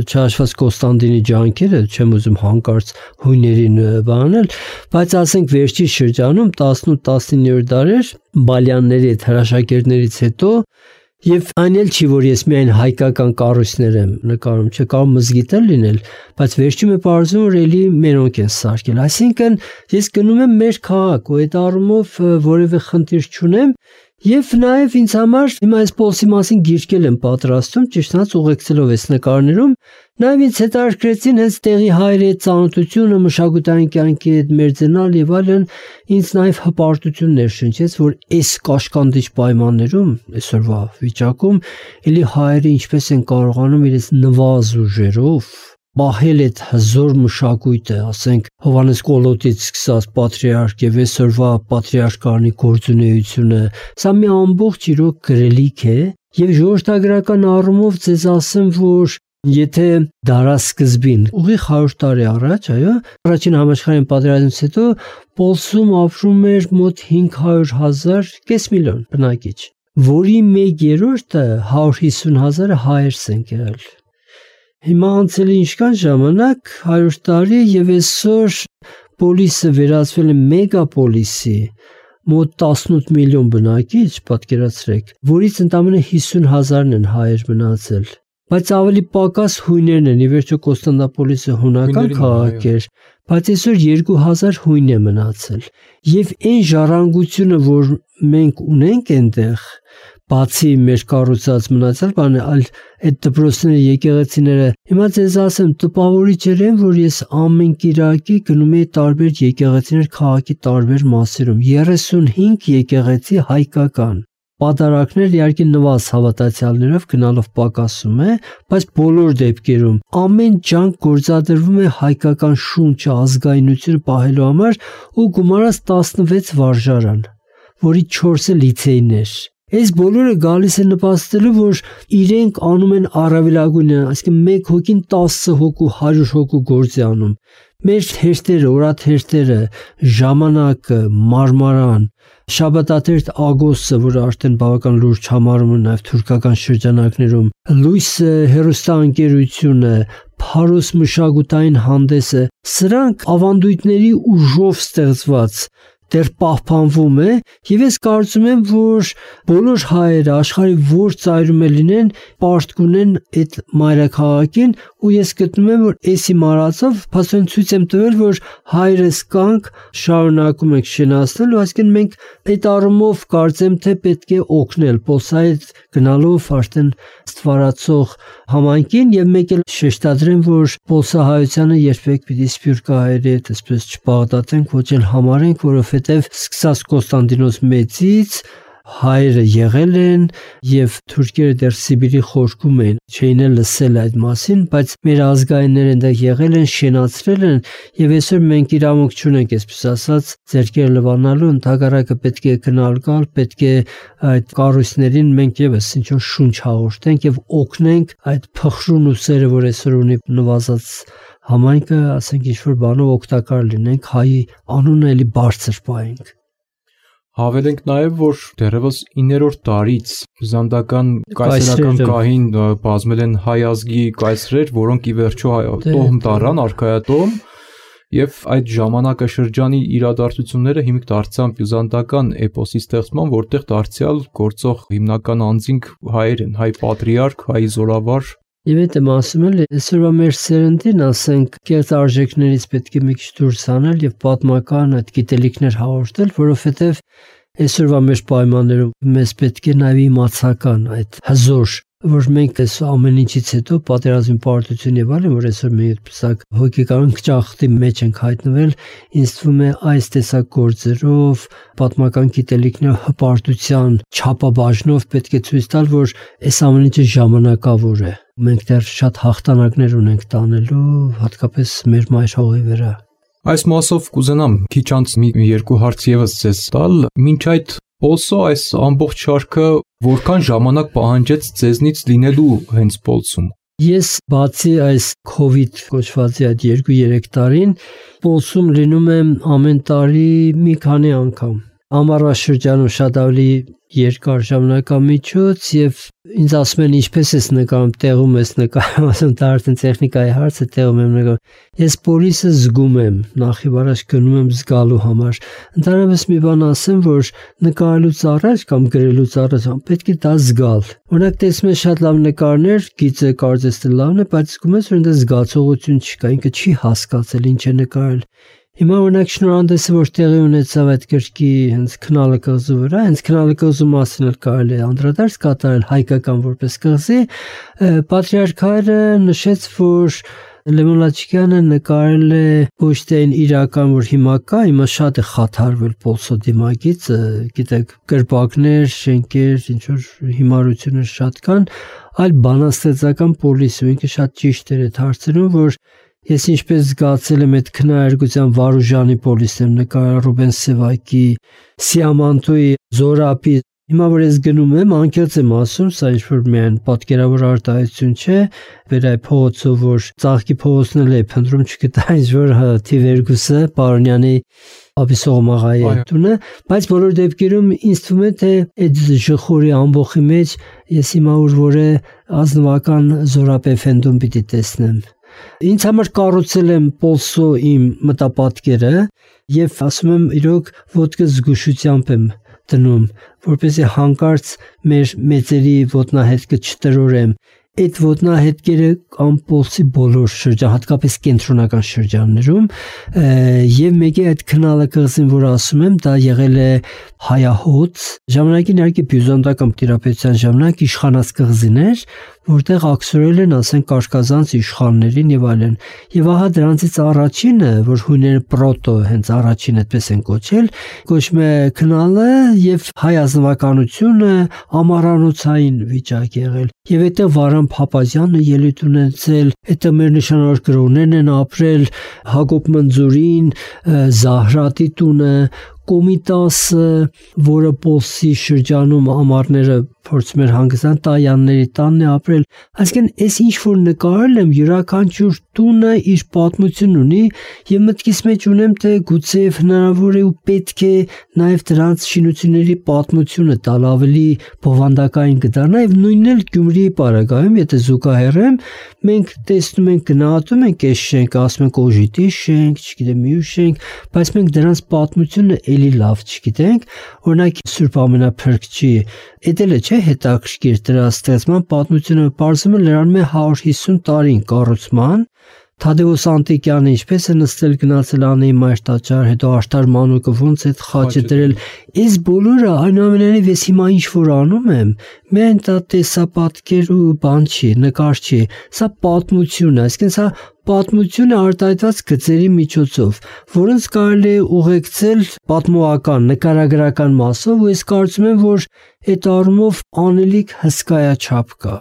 Speaker 3: չհաշված Կոստանդինի ջանքերը, չեմ ուզում հանկարծ հույներին բանել, բայց ասենք վերջի շրջանում տասնութ տասնիններորդ դարեր Բալյանների այդ հրաշագործներից հետո եւ այն էլ չի, որ ես միայն հայկական կառույցներ եմ նկարում, չէ, կարող մզգիթ էլ լինել, բայց վերջում է պարզվում, որ էլի մենոնք են սարքել, այսինքն ես գնում եմ մեր քաղաք ու այդ առումով որևէ խնդիր չունեմ Եվ նաև ինձ համար հիմա այս Պոլսի մասին գիրքել եմ պատրաստում, ճիշտ ասած ուղեկցելով այս նկարներում, նաև ինձ հետաքրքրեցին հենց տեղի հայերի ծանոթությունը, մշակութային կյանքի հետ մերձենալ եւ այլն, ինձ նաև հպարտություն ներշնչեց, որ այս կաշկանդիչ պայմաններում, այսօրվա վիճակում, էլի հայերը ինչպես են կարողանում իրենց նվազ ուժերով պահել այդ հզոր մշակույթը, ասենք Հովհաննես Կոլոտից սկսած պատրիարք եւ այսօրվա պատրիարքարնի գործունեությունը, սա մի ամբողջ իրոք գրելիք է եւ ժողովրդագրական առումով ձեզ ասեմ, որ եթե դարասկզբին ուղիղ հարյուր տարի առաջ, այո, առաջին համաշխարհային պատերազմից հետո Պոլսում ապրում էր մոտ հինգ հարյուր հազար, կես միլիոն բնակիչ, որի մեկ երրորդը հարյուր հիսուն հազարը հայերս են եղել։ Հիմա անցել է ինչքան ժամանակ, հարյուր տարի եւ այսօր Պոլիսը վերածվել է մեգապոլիսի, մոտ տասնութ միլիոն բնակիչ, պատկերացրեք, որից ընդամենը հիսուն հազարն են հայեր մնացել։ Բայց ավելի պակաս հույներն են, ի վերջո Կոստանդնուպոլիսը հունական քաղաք էր, բայց այսօր երկու հազար հույն է մնացել։ Եվ այն ժառանգությունը, որ մենք ունենք այնտեղ, բացի մեր կառուցած մնացած բանը, այլ այդ դպրոցները, եկեղեցիները, հիմա ձեզ ասեմ, տպավորիչ էր, որ ես ամեն կիրակի գնում էի տարբեր եկեղեցիներ քաղաքի տարբեր մասերում, երեսունհինգ եկեղեցի հայկական, պատարակներ իհարկե նվազ հավատացյալներով գնալով պակասում է, բայց բոլոր դեպքերում ամեն ջանք գործադրվում է հայկական շունչը, ազգայնությունը պահելու համար ու գումարած տասնվեց վարժարան, որի չորսը լիցեյներ։ Այս բոլորը գալիս է նպաստելու, որ իրենք անում են առավելագույնը, այսինքն մեկ հոգին տասը հոգու, հարյուր հոգու գործ է անում։ Մեր թերթերը, օրաթերթերը, ժամանակը, մարմարան, Շաբաթաթերթ Ագոսը, որը արդեն բավական լուրջ համարում է նաև թուրքական շրջանակներում, Լույս հեռուստաընկերությունը, Փարոս մշակութային հանդեսը, սրանք ավանդույթների ուժով ստեղծված դեռ պահպանվում է, եւ ես կարծում եմ, որ բոլոր հայերը աշխարհի որ ծայրում լինեն, պարտք ունեն այդ մայրաքաղաքին, ու ես գտնում եմ, որ էսի մարածով փաստորեն ցույց եմ տվել, որ հայրս կանք շարունակում ենք շենացնել, ու այսինքն մենք այդ առումով կարծեմ, թե պետք է օգնել Պոլսայից գնալով արդեն ստվարացող համայնքին, եւ մեկ էլ շեշտադրեմ, որ Պոլսահայությանը երբեք պիտի սփյուռքահայերի հետ այսպես չպաղտատենք, ոչ էլ համարենք, որովհետեւ սկսած Կոստանդինոս Մեծից հայերը եղել են եւ թուրքերը դեռ Սիբիրի խորքում են, չէին էլ լսել այդ մասին, բայց մեր ազգայինները այնտեղ եղել են, շենացրել են եւ այսօր մենք իրավունք չունենք, այսպես ասած, ձեռքերը լվանալու, ընդհակառակը պետք է գնալ գալ, պետք է այդ կառույցներին մենք եւս ինչ որ շունչ հաղորդենք եւ օգնենք այդ փխրուն ուսերը, որ այսօր ունի նվազած համայնքը, ասենք ինչ որ բանով օգտակար լինենք, հայի անունը էլի բարձր պահենք։
Speaker 2: Հավելենք նաև, որ դեռևս իններորդ դարից բյուզանդական կայսերական գահին բազմել են հայ ազգի կայսրեր, որոնք ի վերջո տոհմ տարան, արքայատոհմ, եւ այդ ժամանակաշրջանի իրադարձությունները հիմք դարձան բյուզանդական էպոսի ստեղծման, որտեղ դարձյալ գործող հիմնական անձինք հայեր են, հայ պատրիարք, հայ զորավար։
Speaker 3: Եվ այդ եմ ասում էլ, այսօրվա մեր սերնդին, ասենք, կեղծ արժեքներից պետք է մի քիչ դուրս հանել եւ պատմական այդ գիտելիքներ հաղորդել, որովհետեւ այսօրվա մեր պայմաններում մեզ պետք է նաեւ իմացական այդ հզոր, որ մենք այս ամեն ինչից հետո պատերազմի պարտություն եւ այլն, որ այսօր մենք այդպեսակ հոգեկան ճախտի մեջ ենք հայտնվել, ինձ թվում է այս տեսակ գործերով, պատմական գիտելիքներով, հպարտության չափաբաժնով պետք է ցույց տալ, որ այս ամեն ինչը ժամանակավոր է։ Մենք դեռ շատ հաղթանակներ ունենք տանելու, հատկապես մեր մայր հողի վրա։
Speaker 2: Այս մասով կուզենամ քիչ անց մի երկու հարց եւս ձեզ տալ, մինչ այդ Պոլսո այս ամբողջ շարքը որքան ժամանակ պահանջեց ձեզնից լինելու հենց Պոլսում։
Speaker 3: Ես բացի այս COVID կոչվածի այդ երկու-երեք տարին Պոլսում լինում եմ ամեն տարի մի քանի անգամ։ Ամառաշրջանում շատ ավելի երկար ժամանակամիջոց եւ ինձ ասում են ինչպես ես նկարում, տեղում ես նկարում, ասում դա արդեն տեխնիկայի հարց է, տեղում եմ նկարում։ Ես պոլիսը զգում եմ, նախ եւ առաջ գնում եմ զգալու համար։ Ընդհանրապես մի բան ասեմ, որ նկարելուց առաջ կամ գրելուց առաջ պետք է դա զգալ։ Օրինակ տեսնում ես շատ լավ նկարներ, գիծը կարծես թե լավն է, բայց զգում ես, որ այնտեղ զգացողություն չկա, ինքը չի հասկացել ինչ է նկարել։ Հիմա օրինակ շնորհանդեսը, որ տեղի ունեցավ այդ գրքի հենց քնալը կղզու վրա, հենց քնալը կղզու մասին էլ կարելի է անդրադարձ կատարել հայկական որպես կղզի, պատրիարք հայրը նշեց, որ Լևոն Լաչիկյանը նկարել է ոչ թե այն իրական, որ հիմա կա, հիմա շատ է խաթարվել Պոլսո դիմագից, գիտեք, կրպակներ, շենքեր, ինչ որ հիմարություններ շատ կան, այլ բանաստեղծական պոլիսը, ինքը շատ ճիշտ էր այդ հարցերում, որ ես ինչպես զգացել եմ այդ քննարկության Վարուժանի պոլիսն նկարել Ռուբեն Սևակի, Սիամանտոյի, Զորապի, հիմա որ ես գնում եմ, անկեղծ եմ ասում, սա ինչ-որ միայն պատկերավոր արտահայտություն չէ, վեր այ փողոցով, որ ծաղկի փողոցն էլ է փնտրում չգտա ինչ-որ Թիվերգուսը, Պարոնյանի Աբիսողմաղայի տունը, բայց բոլոր դեպքերում ինձ թվում է, թե այդ ժխորի ամբողջի մեջ ես հիմա որ է ազնվական Զորապ Էֆենդում պիտի տեսնեմ։ Ինձ համար կառուցել եմ Պոլսո իմ մտապատկերը եւ ասում եմ իրոք ոտքը զգուշությամբ եմ դնում, որպեսզի հանկարծ մեր մեծերի ոտնահետքը չտրորեմ։ Այդ ոտնահետքերը կամ Պոլսի բոլոր շրջան, հատկապես կենտրոնական շրջաններում, եւ մեկի այդ քնալը կղզին, որ ասում եմ, դա եղել է հայահոց, ժամանակին իհարկե բյուզանդական տիրապետության ժամանակ իշխանած կղզիներ, որտեղ ակսորել են, ասենք, կարկազանց իշխաններին եւ այլն։ Եվ ահա դրանցից առաջինը, որ հույները պրոտո հենց առաջին այդպես են կոչել, կոչվում է քնալը եւ հայ ազնվականությունը ամառանոցային վիճակ եղել։ Եվ այդտեղ Վարան Փափազյանը ելույթ ունեցել, այդտեղ մեր նշանավոր գրողներն են ապրել, Հակոբ Մնձուրին, Զահրատի տունը, Կոմիտասը, որը Պոլսի շրջանում ամառները փորձում էր հանգստան տայանների տանն է ապրել, այսինքն այս ինչ որ նկարել եմ յուրաքանչյուր տունը իր պատմություն ունի եւ մտքիս մեջ ունեմ թե գուցե հնարավոր է ու պետք է նաեւ դրանց շինությունների պատմությունը տալ ավելի բովանդակային կդառնա եւ նույնն էլ Գյումրիի պարագայում եթե զուգահեռեմ մենք տեսնում ենք գնահատում ենք այս շենքը ասում ենք օժիտի շենք, չգիտեմ մյուս շենք, բայց մենք դրանց պատմությունը էլի լավ չգիտենք, օրինակ Սուրբ Ամենափրկչի էդել է չէ հետաքրքիր դրա ստեղծման պատմությունը բարձում է լրանում է հարյուր հիսուն տարին կառուցման Թադեոս Անտիկյանը ինչպես է նստել գնացել Անեի մայր տաճար, հետո Աշտար Մանուկը ոնց է խաչը դրել, այս բոլորը այնուամենայնիվ ես հիմա ինչ որ անում եմ, միայն դա տեսապատկեր ու բան չի, նկար չի, սա պատմություն է, այսինքն սա պատմություն է արտահայտված գծերի միջոցով, որոնց կարելի է ուղեկցել պատմողական, նկարագրական մասով, ու ես կարծում եմ, որ այդ առումով անելիք հսկայաչափ կա։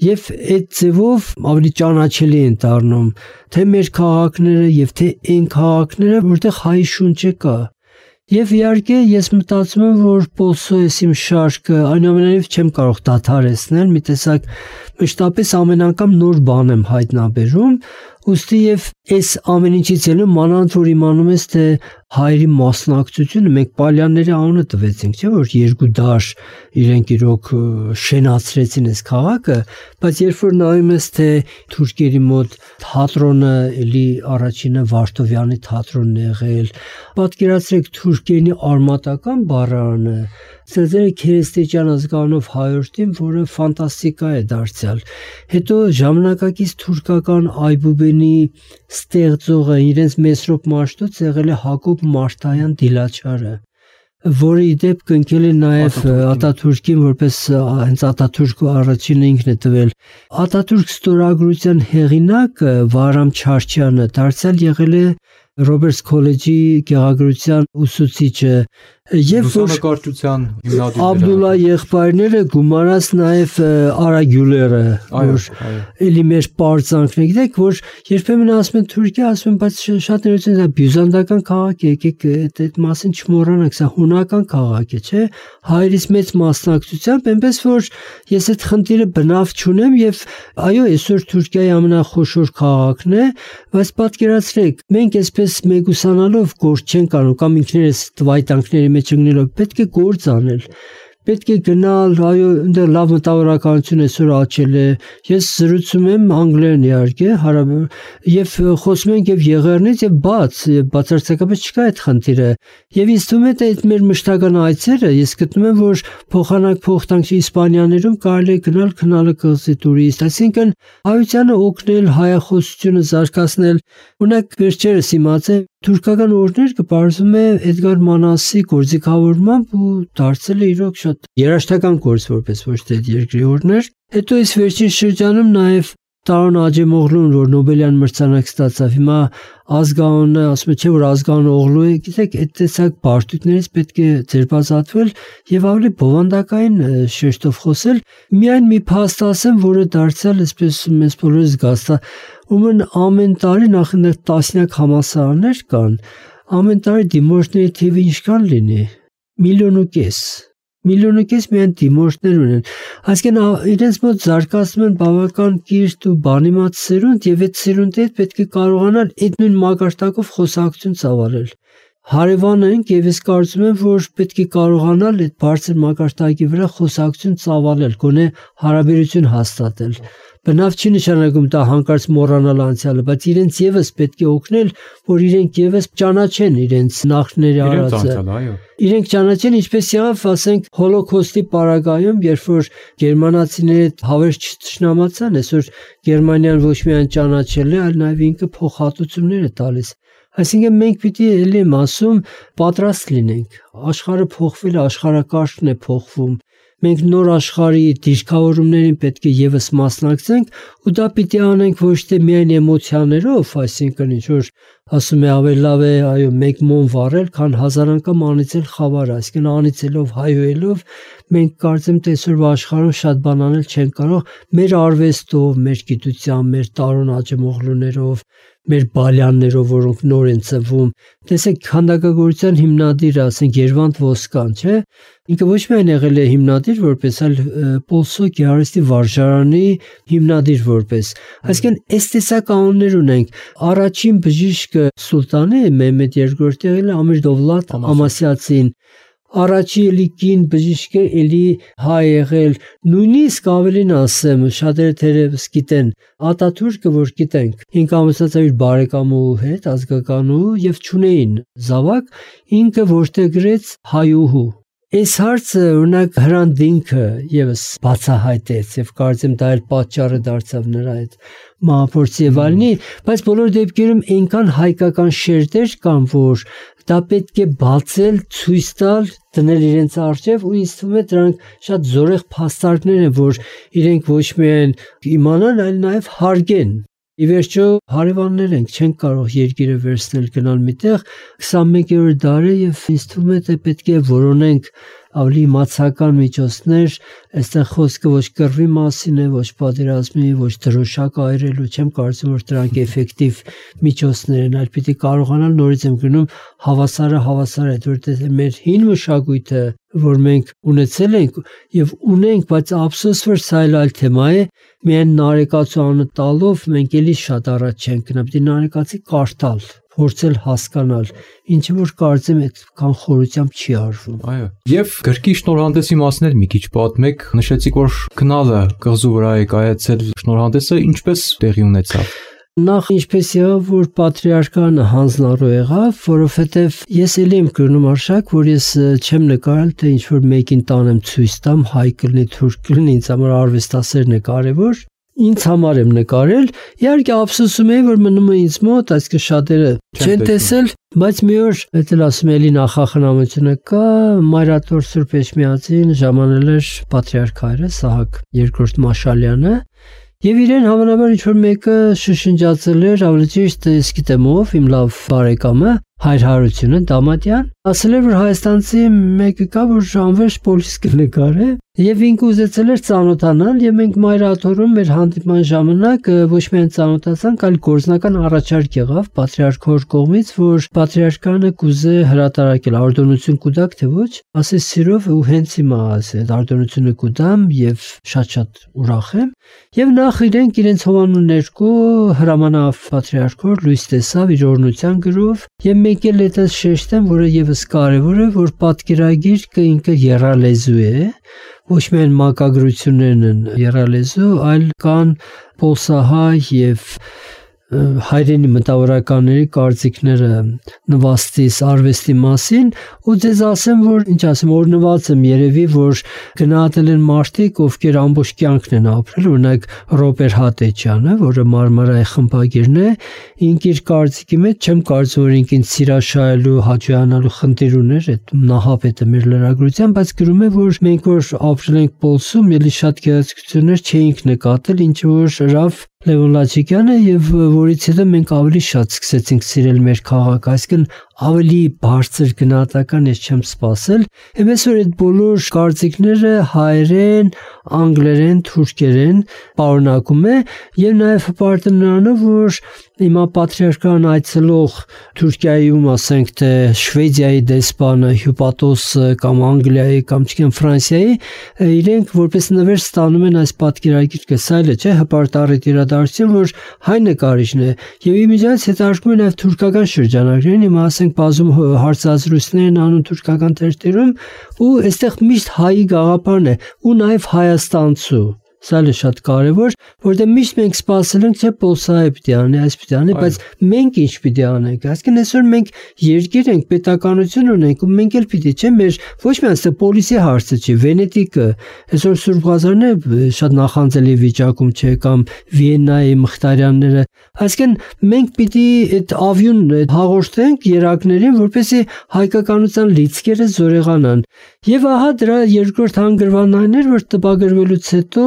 Speaker 3: Եվ այդ ձևով ավելի ճանաչելի են դառնում թե մեր քաղաքները եւ թե այն քաղաքները, որտեղ հայ շունչը կա։ Եվ իհարկե ես մտածում եմ, որ Պոլսոյես իմ շարքը այնուամենայնիվ չեմ կարող դադարեցնել, մի տեսակ մշտապես ամեն անգամ նոր բան եմ հայտնաբերում, ուստի եւ այս ամեն ինչից ելը մանավանդ որ իմանում ես թե հայերի մասնակցությունը մենք պալյանների անունը տվեցինք, չէ՞ որ երկու դար իրենք իրոք շենացրեցին այս քաղաքը, բայց երբ որ նայում ես թե թուրքերի մոտ թատրոնը էլի առաջինը Վարդովյանի թատրոնն է եղել, պատկերացրեք թուրքերենի արմատական բառարանը Սերձերը քերեստեջյան ազգանով հայորդին, որը ֆանտաստիկա է դարձյալ։ Հետո ժամանակակից թուրքական այբուբենի ստեղծողը իրենց Մեսրոպ Մաշտոց եղել է Հակոբ Մարտայան Դիլաչարը, որը ի դեպ կնքել է նաև Ատաթուրքին, որպես հենց Ատաթուրքը առաջինը ինքն է տվել։ Ատաթուրք ստորագրության հեղինակը Վահրամ Չարչյանը դարձյալ եղել է Ռոբերտս քոլեջի գեղագրության ուսուցիչը եւ
Speaker 2: լուսանկարչության հիմնադիրը
Speaker 3: Աբդուլլա եղբայրները գումարած նաեւ Արա Գյուլերը, որ էլի մեր պարծանքն է, գիտեք, որ երբեմն ասում են Թուրքիա, ասում են, բայց շատ ներողություն, դա բյուզանդական քաղաք է, եկեք այդ մասին չմոռանանք, սա հունական քաղաք է, չէ՞։ Հայերից մեծ մասնակցությամբ, այնպես որ ես այդ խնդիրը բնավ չունեմ եւ այո, այսօր Թուրքիայի ամենախոշոր քաղաքն է, բայց պատկերացրեք, մենք այսպես մեգուսանալով գործ չենք անում կամ ինքներս տվայտանքների մեջ ընկնելով, պետք է գործ անել, պետք է գնալ, այո, այնտեղ լավ մտավորականություն այսօր աճել է, ես զրուցում եմ անգլերեն իհարկե, հարաբեր եւ խոսում ենք եւ եղեռնից եւ բաց, եւ բացարձակապես չկա այդ խնդիրը։ Եվ ինձ թվում է թե այդ մեր մշտական այցերը, ես գտնում եմ, որ փոխանակ փոխտանքի Իսպանիաներում կարելի է գնալ քնալը կղզի տուրիստ, այսինքն հայությանը օգնել, հայախոսությունը զարգացնել։ Օրինակ վերջերս իմացա թուրքական օրներ կբարձում է Էդգար Մանասի գործիքավորմամբ ու դարձել է իրոք շատ երաժշտական գործ, որպես ոչ թե երկրի օրներ։ Հետո այս վերջին շրջանում նաև Տարոն Աջեմօղլուն, որ Նոբելյան մրցանակ ստացավ, հիմա ազգանունը ասում է, չէ՞ որ ազգանունը Օղլու է, գիտեք, այդ տեսակ բարդություններից պետք է ձերբազատվել եւ ավելի բովանդակային շեշտով խոսել։ Միայն մի փաստ ասեմ, որը դարձյալ այսպես մեզ բոլորս զգացա, ումն ամեն տարի նախ տասնյակ համալսարաններ կան, ամեն տարի դիմորդների թիվը ինչքան լինի, միլիոն ու կես։ Միլիոն ու կես միայն դիմորդներ ունեն, այսինքն իրենց մոտ զարգացնում են բավական կիրթ ու բանիմաց սերունդ եւ այդ սերունդը պետք է կարողանալ այդ նույն մակարդակով խոսակցություն ծավալել։ Հարևանը ենք եւ ես կարծում եմ, որ պետք է կարողանալ այդ բարձր մակարդակի վրա խոսակցություն ծավալել, գոնե հարաբերություն հաստատել։ Բնավ չի նշանակում դա հանկարծ մոռանալ անցյալը, բայց իրենց եւս պետք է օգնել, որ իրենք եւս ճանաչեն իրենց նախնների արածը։ Իրենք ճանաչեն, ինչպես եղավ, ասենք, Հոլոկոստի պարագայում, երբ որ գերմանացիները հավերժ չթշնամացան, այսօր Գերմանիան ոչ միայն ճանաչել է, այլ նաեւ ինքը փոխհատուցումներ է տալիս։ Այսինքն մենք պիտի էլի եմ ասում, պատրաստ լինենք։ Աշխարհը փոխվել է, աշխարհակարգն է փոխվում։ Մենք նոր աշխարհի դիրքավորումներին պետք է եւս մասնակցենք ու դա պիտի անենք ոչ թե միայն էմոցիաներով, այսինքն ինչ որ ասում է ավելի լավ է, այո, մեկ մոմ վառել, քան հազար անգամ անիծել խավարը, այսինքն անիծելով, հայոյելով մենք կարծեմ թե այսօրվա աշխարհում շատ բան անել չեն կարող մեր արվեստով, մեր գիտությամբ, մեր Տարոն Աջեմօղլուներով, մեր բալյաններով, որոնք նոր են ծնվում։ Տեսեք, քանդակագործության հիմնադիրը, ասենք Երվանդ Ոսկան, չէ՞։ Ինքը ոչ միայն եղել է հիմնադիր որպես, այլ Պոլսո գեղարվեստի վարժարանի հիմնադիր որպես։ Այսինքն, այս տեսականներ ունենք։ Առաջին բժիշկը սուլտանը Մեհմեդ երկրորդը եղել է Ամիր Դովլատ Ամասիացին։ Առաջի էլի կին բժիշկը էլի հայ եղել, նույնիսկ ավելին ասեմ, շատերը թերևս գիտեն, Ատաթուրքը որ գիտենք, ինքը ամուսնացավ իր բարեկամու հետ, ազգականու եւ չունեին զավակ, ինքը որտեղ գրեց հայուհու։ Այս հարցը օրինակ Հրանտ Դինքը եւս բացահայտեց եւ կարծեմ դա էլ պատճառը դարձավ նրա այդ մահափորձի եւ այլնի, բայց բոլոր դեպքերում այնքան հայկական շերտեր կան, որ դա պետք է բացել, ցույց տալ, դնել իրենց առջև ու ինձ թվում է դրանք շատ զորեղ փաստարկներ են, որ իրենք ոչ միայն իմանան, այլ նաեւ հարգեն։ Ի վերջո հարևաններ ենք, չենք կարող երկիրը վերցնել գնալ միտեղ քսանմեկերորդ դարը եւ ինձ թվում է թե պետք է որոնենք ավելի իմացական միջոցներ, այստեղ խոսքը ոչ կռվի մասին է, ոչ պատերազմի, ոչ դրոշակ այրելու, չեմ կարծում որ դրանք էֆեկտիվ միջոցներ են, այլ պիտի կարողանալ նորից եմ գնում հավասարը հավասար է, որտեղ մեր հին մշակույթը, որ մենք ունեցել ենք եւ ունենք, բայց ափսոս որ սա այլ թեմա է, միայն նարեկացու անունը տալով մենք էլի շատ առաջ չենք գնա, պիտի նարեկացի կարդալ, փորձել հասկանալ, ինչը որ կարծեմ այդքան խորությամբ չի արվում։
Speaker 2: Այո։ Եվ գրքի շնորհանդեսի մասն էլ մի քիչ պատմեք, նշեցիք որ քնալը կղզու վրա է կայացել, շնորհանդեսը ինչպես տեղի ունեցավ։
Speaker 3: Նախ ինչպես եղավ, որ պատրիարքանը հանձնառու եղավ, որովհետև ես էլի եմ կրնում արշակ, որ ես չեմ նկարել, թե ինչ-որ մեկին տանեմ ցույց տամ, հայ կլինի, թուրք կլինի, ինձ համար արվեստասերն է կարևոր, ինձ համար եմ նկարել, իհարկե ափսոսում եմ, որ մնում է ինձ մոտ, այսինքն շատերը չեն տեսել, բայց մի օր էլ ասում էլի նախախնամությունը կա, Մայրաթոր Սուրբ Էջմիածին ժամանել էր պատրիարք հայրը Սահակ երկրորդ Մաշալյանը, եւ իրեն հավանաբար ինչ-որ մեկը շշնջացել էր, ավելի ճիշտ ես գիտեմ ով, իմ լավ բարեկամը, Հայր Հարությունը Դամատյան, ասել էր որ հայաստանցի մեկը կա, որ անվերջ պոլիս կնկարե, եւ ինքը ուզեցել էր ծանոթանալ, եւ մենք Մայրաթորում մեր հանդիպման ժամանակ ոչ միայն ծանոթացանք, այլ գործնական առաջարկ եղավ պատրիարքոր կողմից, որ պատրիարքանը կուզե հրատարակել արտոնություն կուտակ, թե ոչ, ասես սիրով ու հենց հիմա ասել արտոնությունը կուտամ եւ շատ-շատ ուրախ եմ, եւ նախ իրենք իրենց հովանու ներկո հրամանավ պատրիարքոր լույս տեսավ իր օրնության գրով եւ մեկ էլ այդպես շեշտեմ, որը եւս կարեւոր է, որ պատկերագիրքը ինքը եռալեզու է, ոչ միայն մակագրություններն են եռալեզու, այլ կան պոլսահայ եւ հայրենի մտավորականների կարծիքները նվաստիս արվեստի մասին ու ձեզ ասեմ որ ինչ ասեմ օրնված եմ երևի որ գնահատել են մարդիկ ովքեր ամբողջ կյանքն են ապրել օրինակ Ռոբեր Հատեչյանը որը Մարմարայի խմբագիրն է ինք իր կարծիքի մեջ չեմ կարծում որ ինքին սիրաշահելու հաճոյանալու խնդիր ուներ այդ նահապետը մեր լրագրության բայց գրում է որ մենք որ ապրել ենք Պոլսում ելի շատ գեղեցկություններ չէինք նկատել ինչ որ հրավ Լևոն Լաչիկյանը եւ որից հետո մենք ավելի շատ սկսեցինք սիրել մեր քաղաքը, այսինքն ավելի բարձր գնահատական ես չեմ սպասել, այնպես որ այդ բոլոր կարծիքները հայերեն, անգլերեն, թուրքերեն պարունակում է եւ նաեւ հպարտը նրանով որ հիմա պատրիարքան այցելող Թուրքիայում ասենք թե Շվեդիայի դեսպանը Հյուպատոսը կամ Անգլիայի կամ չգիտեմ Ֆրանսիայի իրենք որպես նվեր ստանում են այս պատկերագիրքը, սա էլ է, չէ, հպարտառիթ իրադարձություն, որ հայ նկարիչն է եւ իմիջիայից հետարկում են նաեւ թուրքական շրջանակներին, հիմա ասենք բազում հարցազրույցներ են անում թուրքական թերթերում ու այստեղ միշտ հայի գաղափարն է ու նաեւ հայաստանցու Սա է շատ կարևոր, որտեղ միշտ մենք սպասել ենք, թե Պոլսահայ պիտի անի, այս պիտի անի, բայց մենք ինչ պիտի անենք։ Այսինքն այսօր մենք երկիր ենք, պետականություն ունենք, ու մենք էլ պիտի, չէ՞, մեր ոչ միայն այստեղ պոլիսի հարցը չի, Վենետիկը, այսօր Սուրբ Ղազարն է շատ նախանձելի վիճակում չէ, կամ Վիեննայի Մխտարյանները։ Այսինքն մենք պիտի այդ ավյուն հաղորդենք երակներին, որպեսզի հայկականության լիցքերը զորեղանան։ Եվ ահա դրա երկրորդ հանգրվանն այն էր, որ տպագրվելուց հետո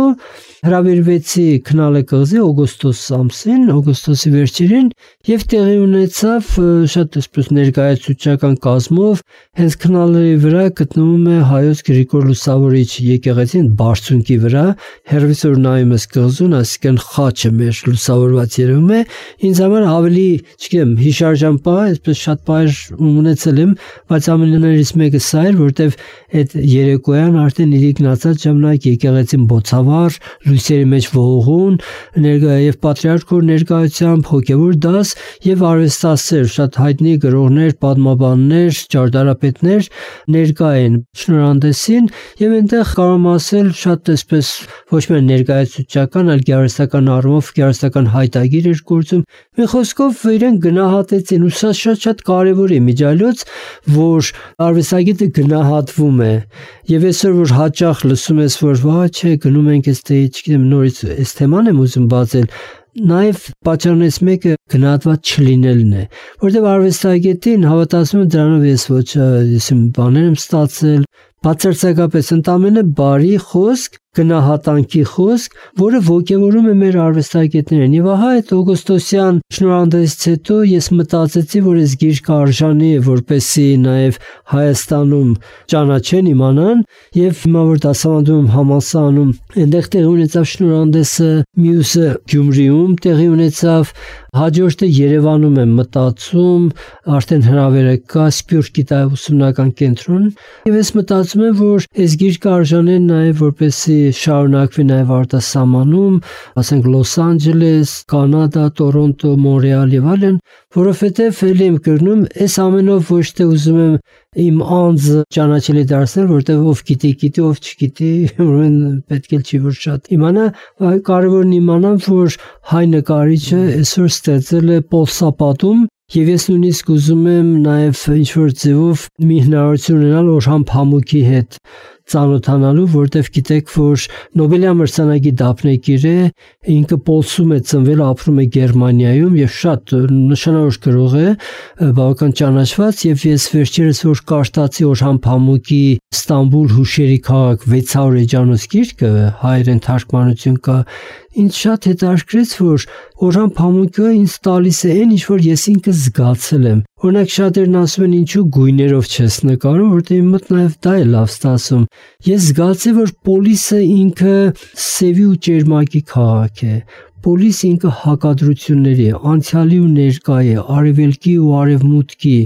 Speaker 3: հրավիրվեցի Քնալե կղզի օգոստոս ամսին, օգոստոսի վերջերին եւ տեղի ունեցավ շատ այսպես ներկայացուցչական կազմով, հենց Քնալեի վրա գտնվում է հայոց Գրիգոր Լուսավորիչ եկեղեցին բարձունքի վրա, հերվիսոր նայում ես կղզուն, այսինքն խաչը մեր լուսավորված երևում լինում է, ինձ համար ավելի, չգիտեմ, հիշարժան պահ, այսպես շատ պահեր ունեցել եմ, բայց ամենաներից մեկը սա էր, որտեվ այդ երեկոյան արդեն իր գնացած ժամանակ եկեղեցին բոցավառ, լույսերի մեջ ողողուն, ներկա եւ պատրիարքոր ներկայությամբ հոգեվոր դաս եւ արվեստասեր, շատ հայտնի գրողներ, պատմաբաններ, ճարտարապետներ ներկա են շնորհանդեսին եւ այնտեղ կարող եմ ասել շատ այսպես ոչ միայն ներկայացուցչական, այլ գեղարվեստական առումով գեղարվեստական հայտագիր էր գործում։ Մի խոսքով իրեն գնահատեցին ու սա շատ-շատ կարևոր է միջայլոց, որ արվեստագետը գնահատվում է եւ այսօր որ հաճախ լսում ես որ վա չէ գնում ենք այստե չգիտեմ նորից այս թեման եմ ուզում բացել Նաև պատճառներից մեկը գնահատված չլինելն է, որտեղ արվեստագետին հավատացում եմ դրանով ես ոչ ես բաներ եմ ստացել, բացարձակապես ընդամենը բարի խոսք, գնահատանքի խոսք, որը ոգևորում է մեր արվեստագետներին։ Եվ ահա այդ օգոստոսյան շնորհանդեսից հետո ես մտածեցի, որ այս գիրքը արժանի է, որպեսզի նաև Հայաստանում ճանաչեն, իմանան, եւ հիմա որ դասավանդում եմ համալսարանում, այնտեղ տեղի ունեցավ շնորհանդեսը, մյուսը Գյումրիում տեղի ունեցավ, հաջորդը Երևանում եմ մտածում, արդեն հրավերը կա Սփյուռքի գիտահոսումնական կենտրոն, եւ ես մտածում եմ, որ այս գիրքը արժանի է նաև որպեսզի շարունակվի նաև արտասահմանում, ասենք Լոս Անջելես, Կանադա, Տորոնտո, Մոնրեալ եւ այլն, որովհետեւ ելի եմ կրնում, այս ամենով ոչ թե ուզում եմ իմ անձը ճանաչելի դարձնել, որտեղ ով գիտի, գիտի, ով չգիտի, ուրեմն պետք է չի որ շատ իմանա, կարևորն իմանամ, որ հայ նկարիչը այսօր ստեղծել է պոլսապատում, եւ ես նույնիսկ ուզում եմ նաեւ ինչ-որ ձևով մի հնարավորություն ունենալ Օրհան Փամուկի հետ ծանոթանալու, որտեվ գիտեք, որ Նոբելյա մրցանակի դափնեկիր է, ինքը Պոլսում է ծնվել, ապրում է Գերմանիայում եւ շատ նշանավոր գրող է, բավական ճանաչված եւ ես վերջերս որ կարդացի Օրհան Փամուկի Ստամբուլ հուշերի քաղաք վեց հարյուր էջանոց գիրքը, հայերեն թարգմանություն կա, ինձ շատ հետաքրքրեց, որ Օրհան Փամուկը ինձ տալիս է այն, ինչ որ ես ինքս զգացել եմ։ Օրինակ շատերն ասում են ինչու գույներով չես նկարում, որտեղ իմ մոտ նաև դա է լավ ստացում։ Ես զգացի, որ Պոլիսը ինքը սևի ու ճերմակի քաղաք է։ Պոլիս ինքը հակադրությունների է, անցյալի ու ներկայի, արևելքի ու արևմուտքի,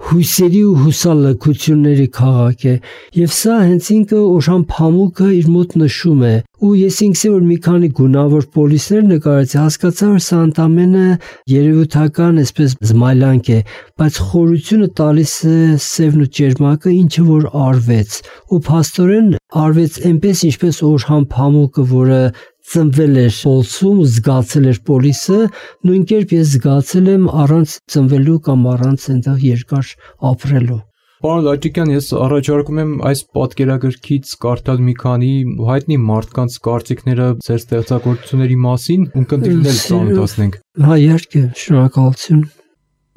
Speaker 3: հույսերի ու հուսալքությունների քաղաք է, եւ սա հենց ինքը Օրհան Փամուկը իր մոտ նշում է, ու ես ինքս որ մի քանի գունավոր պոլիսներ նկարեցի, հասկացա, որ սա ընդամենը երևութական այսպես զմայլանք է, բայց խորությունը տալիս է սևն ու ճերմակը, ինչը որ արվեց, ու փաստորեն արվեց այնպես, ինչպես Օրհան Փամուկը, որը ծնվել էր Պոլսում, զգացել էր Պոլիսը, նույն կերպ ես զգացել եմ առանց ծնվելու կամ առանց այնտեղ երկար ապրելու։
Speaker 2: Պարոն Լաչիկյան, ես առաջարկում եմ այս պատկերագրքից կարդալ մի քանի հայտնի մարդկանց կարծիքները ձեր ստեղծագործությունների մասին ու կընտրել ծանոթացնենք։
Speaker 3: Հա, իհարկե, շնորհակալություն։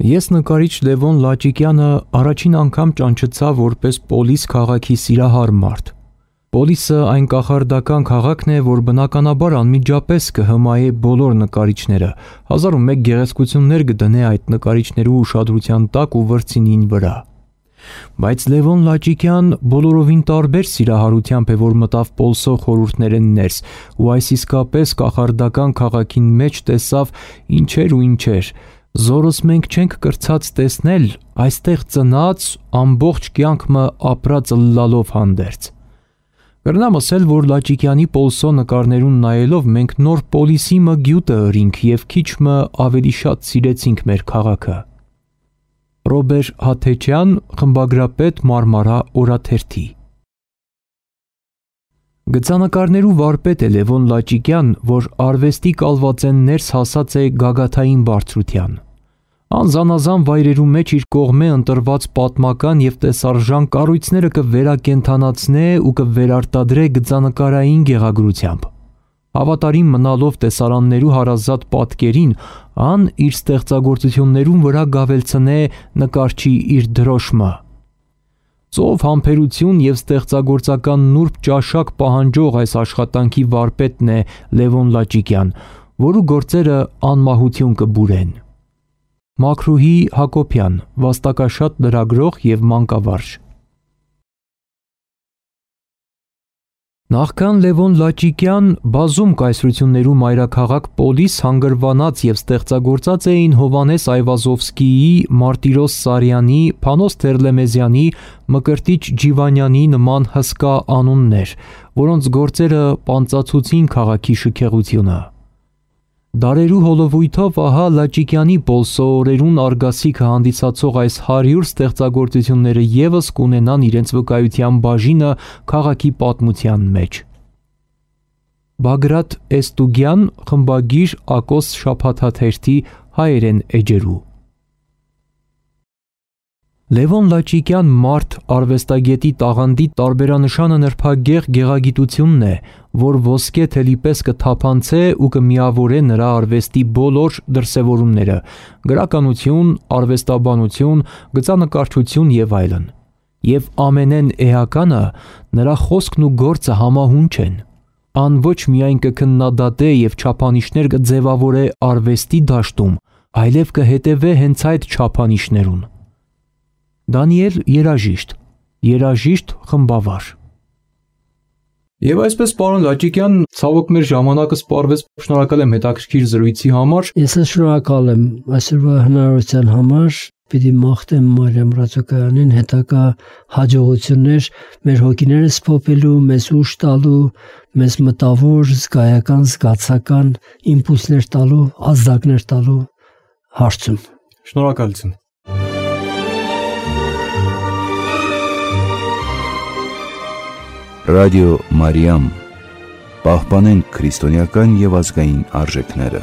Speaker 2: Ես նկարիչ Լևոն Լաչիկյանը առաջին անգամ ճանաչեցա որպես Պոլիս քաղաքի սիրահար մարդ։ Պոլիսը այն կախարդական քաղաքն է, որ բնականաբար անմիջապես կհմայի բոլոր նկարիչները, հազար ու մեկ գեղեցկություններ կդնե այդ նկարիչներու ուշադրության տակ ու վրձինին վրա։ Բայց Լևոն Լաչիկյան բոլորովին տարբեր սիրահարությամբ է, որ մտավ Պոլսո խորհուրդներեն ներս, ու այս իսկապես կախարդական քաղաքին մեջ տեսավ ինչեր ու ինչեր։ Զորս մենք չենք կրցած տեսնել, այստեղ ծնած ամբողջ կյանքը ապրած լալով հանդերձ։ Կրնամ ասել, որ Լաչիկյանի Պոլսո նկարներուն նայելով մենք նոր Պոլիսի մը գյուտը ըրինք եւ քիչ մը ավելի շատ սիրեցինք մեր քաղաքը։ Ռոբեր Հաթեչյան, խմբագրապետ, Մարմարա օրաթերթի։ Գծանկարներու վարպետ է Լևոն Լաչիկյան, որ արվեստի կալվածեն ներս հասած է գագաթային բարձրության։ Անզանազան վայրերու մեջ իր կողմե ընտրված պատմական եւ տեսարժան կառույցները կվերակենդանացնե ու կվերարտադրե գծանկարային գեղագրությամբ։ Հավատարիմ մնալով տեսարաններու հարազատ պատկերին, ան իր ստեղծագործություններուն վրա գավելցնե նկարչի իր դրոշմը։ Ծով համբերություն եւ ստեղծագործական նուրբ ճաշակ պահանջող այս աշխատանքի վարպետն է Լևոն Լաչիկյան, որու գործերը անմահություն կբուրեն։ Մաքրուհի Հակոբյան, վաստակաշատ լրագրող եւ մանկավարժ։ Նախքան Լևոն Լաչիկյան բազում կայսրություններու մայրաքաղաք Պոլիս հանգրվանած եւ ստեղծագործած էին Հովանես Այվազովսկիի, Մարտիրոս Սարյանի, Փանոս Թերլեմեզյանի, Մկրտիչ Ջիվանյանի նման հսկա անուններ, որոնց գործերը պանծացուցին քաղաքի շքեղությունը։ Դարերու հոլովույթով ահա Լաչիկյանի Պոլսո օրերուն արգասիքը հանդիսացող այս հարյուր ստեղծագործությունները եւս կունենան իրենց վկայության բաժինը քաղաքի պատմության մեջ։ Բագրատ Էստուգյան, խմբագիր, Ակոս շաբաթաթերթի հայերեն էջերու։ Լևոն Լաչիկյան մարդ արվեստագետի տաղանդի տարբերանշանը նրբագեղ գեղագիտությունն է, որ ոսկե թելի պես կթափանցե ու կմիավորե նրա արվեստի բոլոր դրսևորումները՝ գրականություն, արվեստաբանություն, գծանկարչություն եւ այլն։ Եվ ամենեն էականը նրա խոսքն ու գործը համահունչ են։ Ան ոչ միայն կքննադատե եւ չափանիշներ կձևավորե արվեստի դաշտում, այլև կհետևե հենց այդ չափանիշներուն։ Դանիել երաժիշտ, երաժիշտ խմբավար։ Եվ այսպես պարոն Լաչիկյան, ցավոք մեր ժամանակը սպառվեց, շնորհակալ եմ հետաքրքիր զրույցի համար։
Speaker 3: Ես շնորհակալ եմ այսօրվա հնարավորության համար, պիտի մաղթեմ Մարիամ Ռաձոկյանին հետագա հաջողություններ մեր հոգիները սփոփելու, մեզ ուժ տալու, մեզ մտավոր, զգայական, զգացական իմպուլսներ տալու, ազդակներ տալու հարցում։
Speaker 2: Շնորհակալություն։
Speaker 1: Ռադիո Մարիամ, պահպանենք քրիստոնեական եւ ազգային արժեքները։